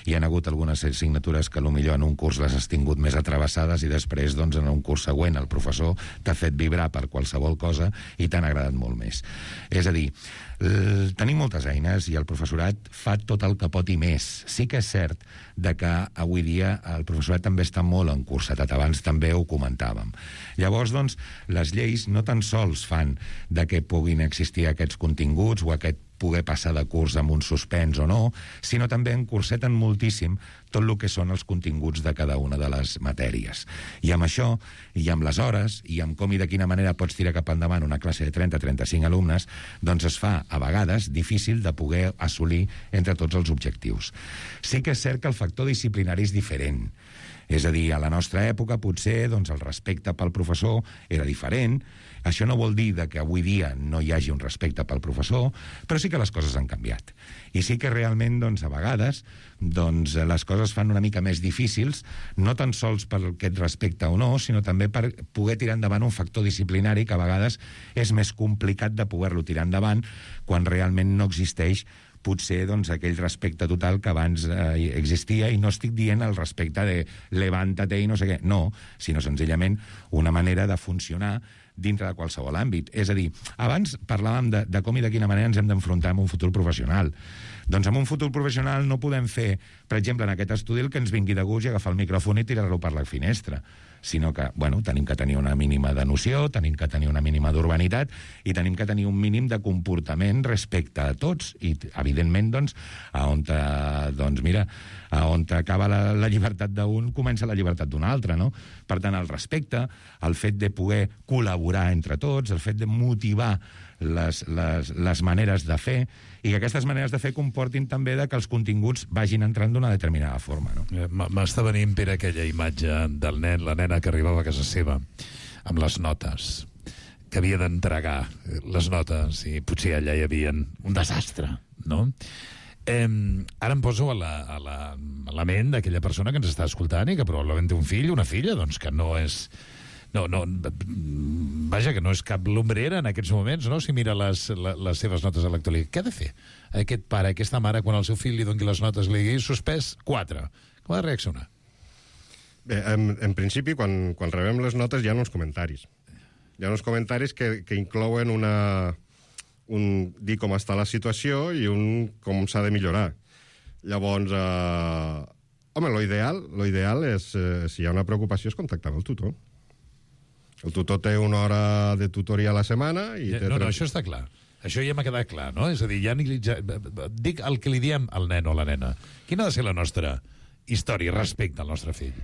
i han hagut algunes assignatures que potser en un curs les has tingut més atravessades i després, doncs, en un curs següent el professor t'ha fet vibrar per qualsevol cosa i t'han agradat molt més. És a dir, tenim moltes eines i el professorat fa tot el que pot i més. Sí que és cert de que avui dia el professorat també està molt encursetat. Abans també ho comentàvem. Llavors, doncs, les lleis no tan sols fan de que puguin existir aquests continguts o aquest poder passar de curs amb un suspens o no, sinó també encurseten moltíssim tot el que són els continguts de cada una de les matèries. I amb això, i amb les hores, i amb com i de quina manera pots tirar cap endavant una classe de trenta a trenta-cinc alumnes, doncs es fa, a vegades, difícil de poder assolir entre tots els objectius. Sí que és cert que el factor disciplinari és diferent. És a dir, a la nostra època, potser, doncs, el respecte pel professor era diferent. Això no vol dir que avui dia no hi hagi un respecte pel professor, però sí que les coses han canviat. I sí que realment, doncs, a vegades, doncs, les coses fan una mica més difícils, no tan sols per aquest respecte o no, sinó també per poder tirar endavant un factor disciplinari que a vegades és més complicat de poder-lo tirar endavant quan realment no existeix potser doncs, aquell respecte total que abans eh, existia, i no estic dient el respecte de levántate i no sé què, no, sinó senzillament una manera de funcionar dintre de qualsevol àmbit. És a dir, abans parlàvem de, de com i de quina manera ens hem d'enfrontar amb un futur professional. Doncs amb un futur professional no podem fer, per exemple, en aquest estudi el que ens vingui de gust i agafar el micròfon i tirar-lo per la finestra, sinó que, bueno, tenim que tenir una mínima de noció, tenim que tenir una mínima d'urbanitat i tenim que tenir un mínim de comportament respecte a tots. I, evidentment, doncs, a on, te, doncs mira, a on acaba la, la llibertat d'un, comença la llibertat d'un altre, no? Per tant, el respecte, el fet de poder col·laborar entre tots, el fet de motivar les, les, les maneres de fer, i que aquestes maneres de fer comportin també de que els continguts vagin entrant d'una determinada forma, no? M'està venint, Pere, aquella imatge del nen, la nena que arribava a casa seva amb les notes, que havia d'entregar les notes, i potser allà hi havia un desastre, no? Eh, ara em poso a la, a la, a la ment d'aquella persona que ens està escoltant i que probablement té un fill, una filla, doncs que no és... No, no, vaja, que no és cap lumbrera en aquests moments, no?, si mira les, les, les seves notes a l'actualitat. Què ha de fer aquest pare, aquesta mare, quan el seu fill li doni les notes, li digui suspès quatre? Com ha de reaccionar? Bé, en, en principi, quan, quan rebem les notes hi ha uns comentaris. Hi ha uns comentaris que, que inclouen una, un dir com està la situació i un com s'ha de millorar. Llavors, eh, home, lo ideal, lo ideal és, eh, si hi ha una preocupació, és contactar amb el tutor. El tutor té una hora de tutoria a la setmana i... No, no, això està clar. Això ja m'ha quedat clar, no? És a dir, ja, ni, ja dic el que li diem al nen o a la nena. Quina ha de ser la nostra història respecte al nostre fill?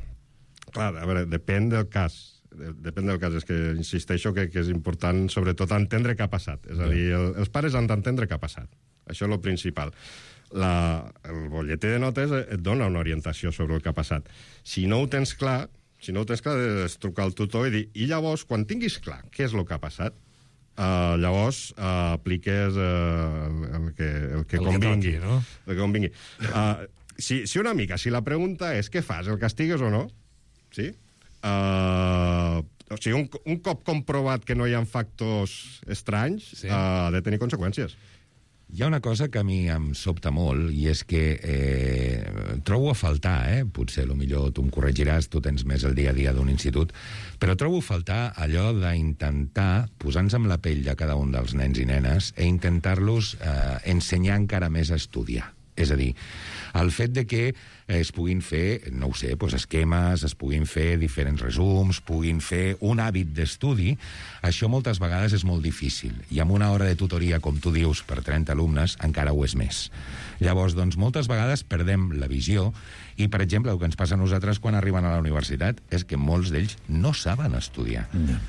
Clar, a veure, depèn del cas. Depèn del cas. És que insisteixo que, que és important, sobretot, entendre què ha passat. És a dir, el, els pares han d'entendre què ha passat. Això és el principal. La, el butlletí de notes et dona una orientació sobre el que ha passat. Si no ho tens clar, si no ho tens clar, és trucar al tutor i dir, i llavors, quan tinguis clar què és el que ha passat, uh, llavors uh, apliques uh, el que, el que el convingui. Que toqui, no? El que convingui. Uh, si, si una mica, si la pregunta és què fas, el castigues o no? Sí? Uh, o sigui, un, un cop comprovat que no hi ha factors estranys, sí. uh, ha de tenir conseqüències. Hi ha una cosa que a mi em sobta molt, i és que eh, trobo a faltar, eh? Potser, millor tu em corregiràs, tu tens més el dia a dia d'un institut, però trobo a faltar allò d'intentar posar-nos amb la pell de cada un dels nens i nenes e intentar-los eh, ensenyar encara més a estudiar. És a dir, el fet de que es puguin fer, no ho sé, doncs esquemes, es puguin fer diferents resums, puguin fer un hàbit d'estudi, això moltes vegades és molt difícil. I amb una hora de tutoria, com tu dius, per trenta alumnes, encara ho és més. Llavors, doncs, moltes vegades perdem la visió i, per exemple, el que ens passa a nosaltres quan arriben a la universitat és que molts d'ells no saben estudiar. No.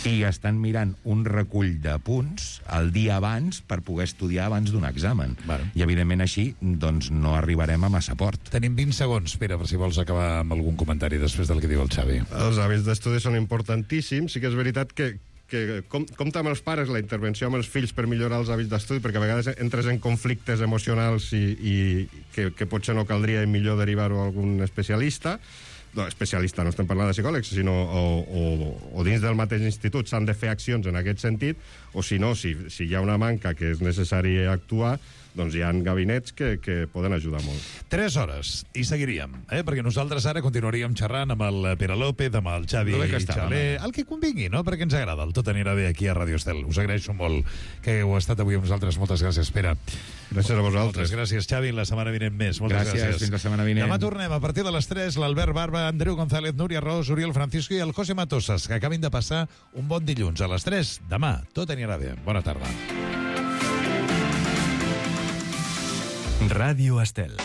I estan mirant un recull de punts el dia abans per poder estudiar abans d'un examen. Vale. I, evidentment, així doncs, no arribarem a massa port. Tenim vint segons, Pere, per si vols acabar amb algun comentari després del que diu el Xavi. Els hàbits d'estudi són importantíssims. Sí que és veritat que, que com, compta amb els pares la intervenció amb els fills per millorar els hàbits d'estudi, perquè a vegades entres en conflictes emocionals i, i que, que potser no caldria millor derivar-ho a algun especialista. No, especialista, no estem parlant de psicòlegs, sinó o, o, o dins del mateix institut s'han de fer accions en aquest sentit, o si no, si, si hi ha una manca que és necessari actuar, doncs hi ha gabinets que, que poden ajudar molt. Tres hores, i seguiríem, eh? Perquè nosaltres ara continuaríem xerrant amb el Pere López, amb el Xavi Xaler, el que convingui, no? Perquè ens agrada, el tot anirà bé aquí a Ràdio Estel. Us agraeixo molt que heu estat avui amb nosaltres. Moltes gràcies, Pere. Gràcies a vosaltres. Moltes gràcies, Xavi. La setmana vinent més. Moltes gràcies. Gràcies, fins la setmana vinent. Demà tornem a partir de les tres, l'Albert Barba, Andreu González, Núria Ros, Oriol Francisco i el José Matosas, que acabin de passar un bon dilluns a les tres. Demà tot anirà bé. Bona tarda. Ràdio Estel.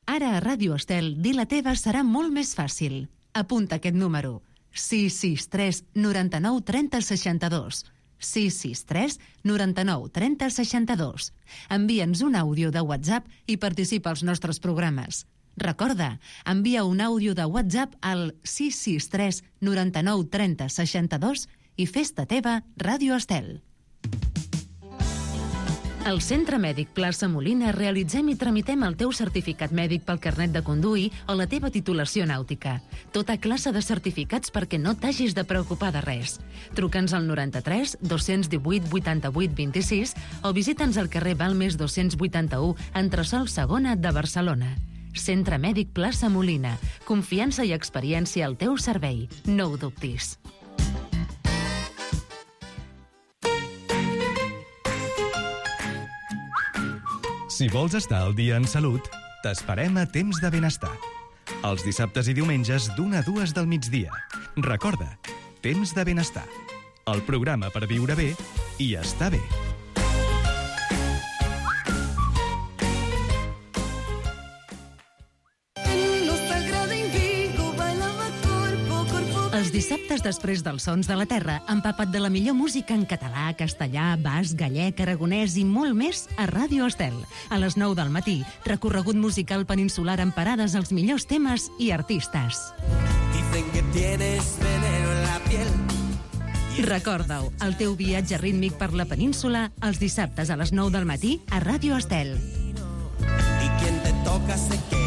Ara a Ràdio Estel, dir la teva serà molt més fàcil. Apunta aquest número. sis sis tres noranta-nou trenta seixanta-dos. sis sis tres noranta-nou trenta seixanta-dos. Envia'ns un àudio de WhatsApp i participa als nostres programes. Recorda, envia un àudio de WhatsApp al sis sis tres noranta-nou trenta seixanta-dos i fes-te teva Ràdio Estel. Al Centre Mèdic Plaça Molina realitzem i tramitem el teu certificat mèdic pel carnet de conduir o la teva titulació nàutica. Tota classe de certificats perquè no t'hagis de preocupar de res. Truca'ns al noranta-tres dos-cents divuit vuitanta-vuit vint-i-sis o visita'ns al carrer Balmes dos-cents vuitanta-u, entresòl segona de Barcelona. Centre Mèdic Plaça Molina. Confiança i experiència al teu servei. No ho dubtis. Si vols estar al dia en salut, t'esperem a Temps de Benestar. Els dissabtes i diumenges d'una a dues del migdia. Recorda, Temps de Benestar. El programa per viure bé i estar bé. Els dissabtes després dels Sons de la Terra, empapa't de la millor música en català, castellà, basc, gallec, aragonès i molt més a Ràdio Estel. A les nou del matí, recorregut musical peninsular amb parades als millors temes i artistes. Dicen que tienes veneno en la piel. Recorda-ho, el teu viatge rítmic per la península els dissabtes a les nou del matí a Ràdio Estel. Y quien te toca se queda.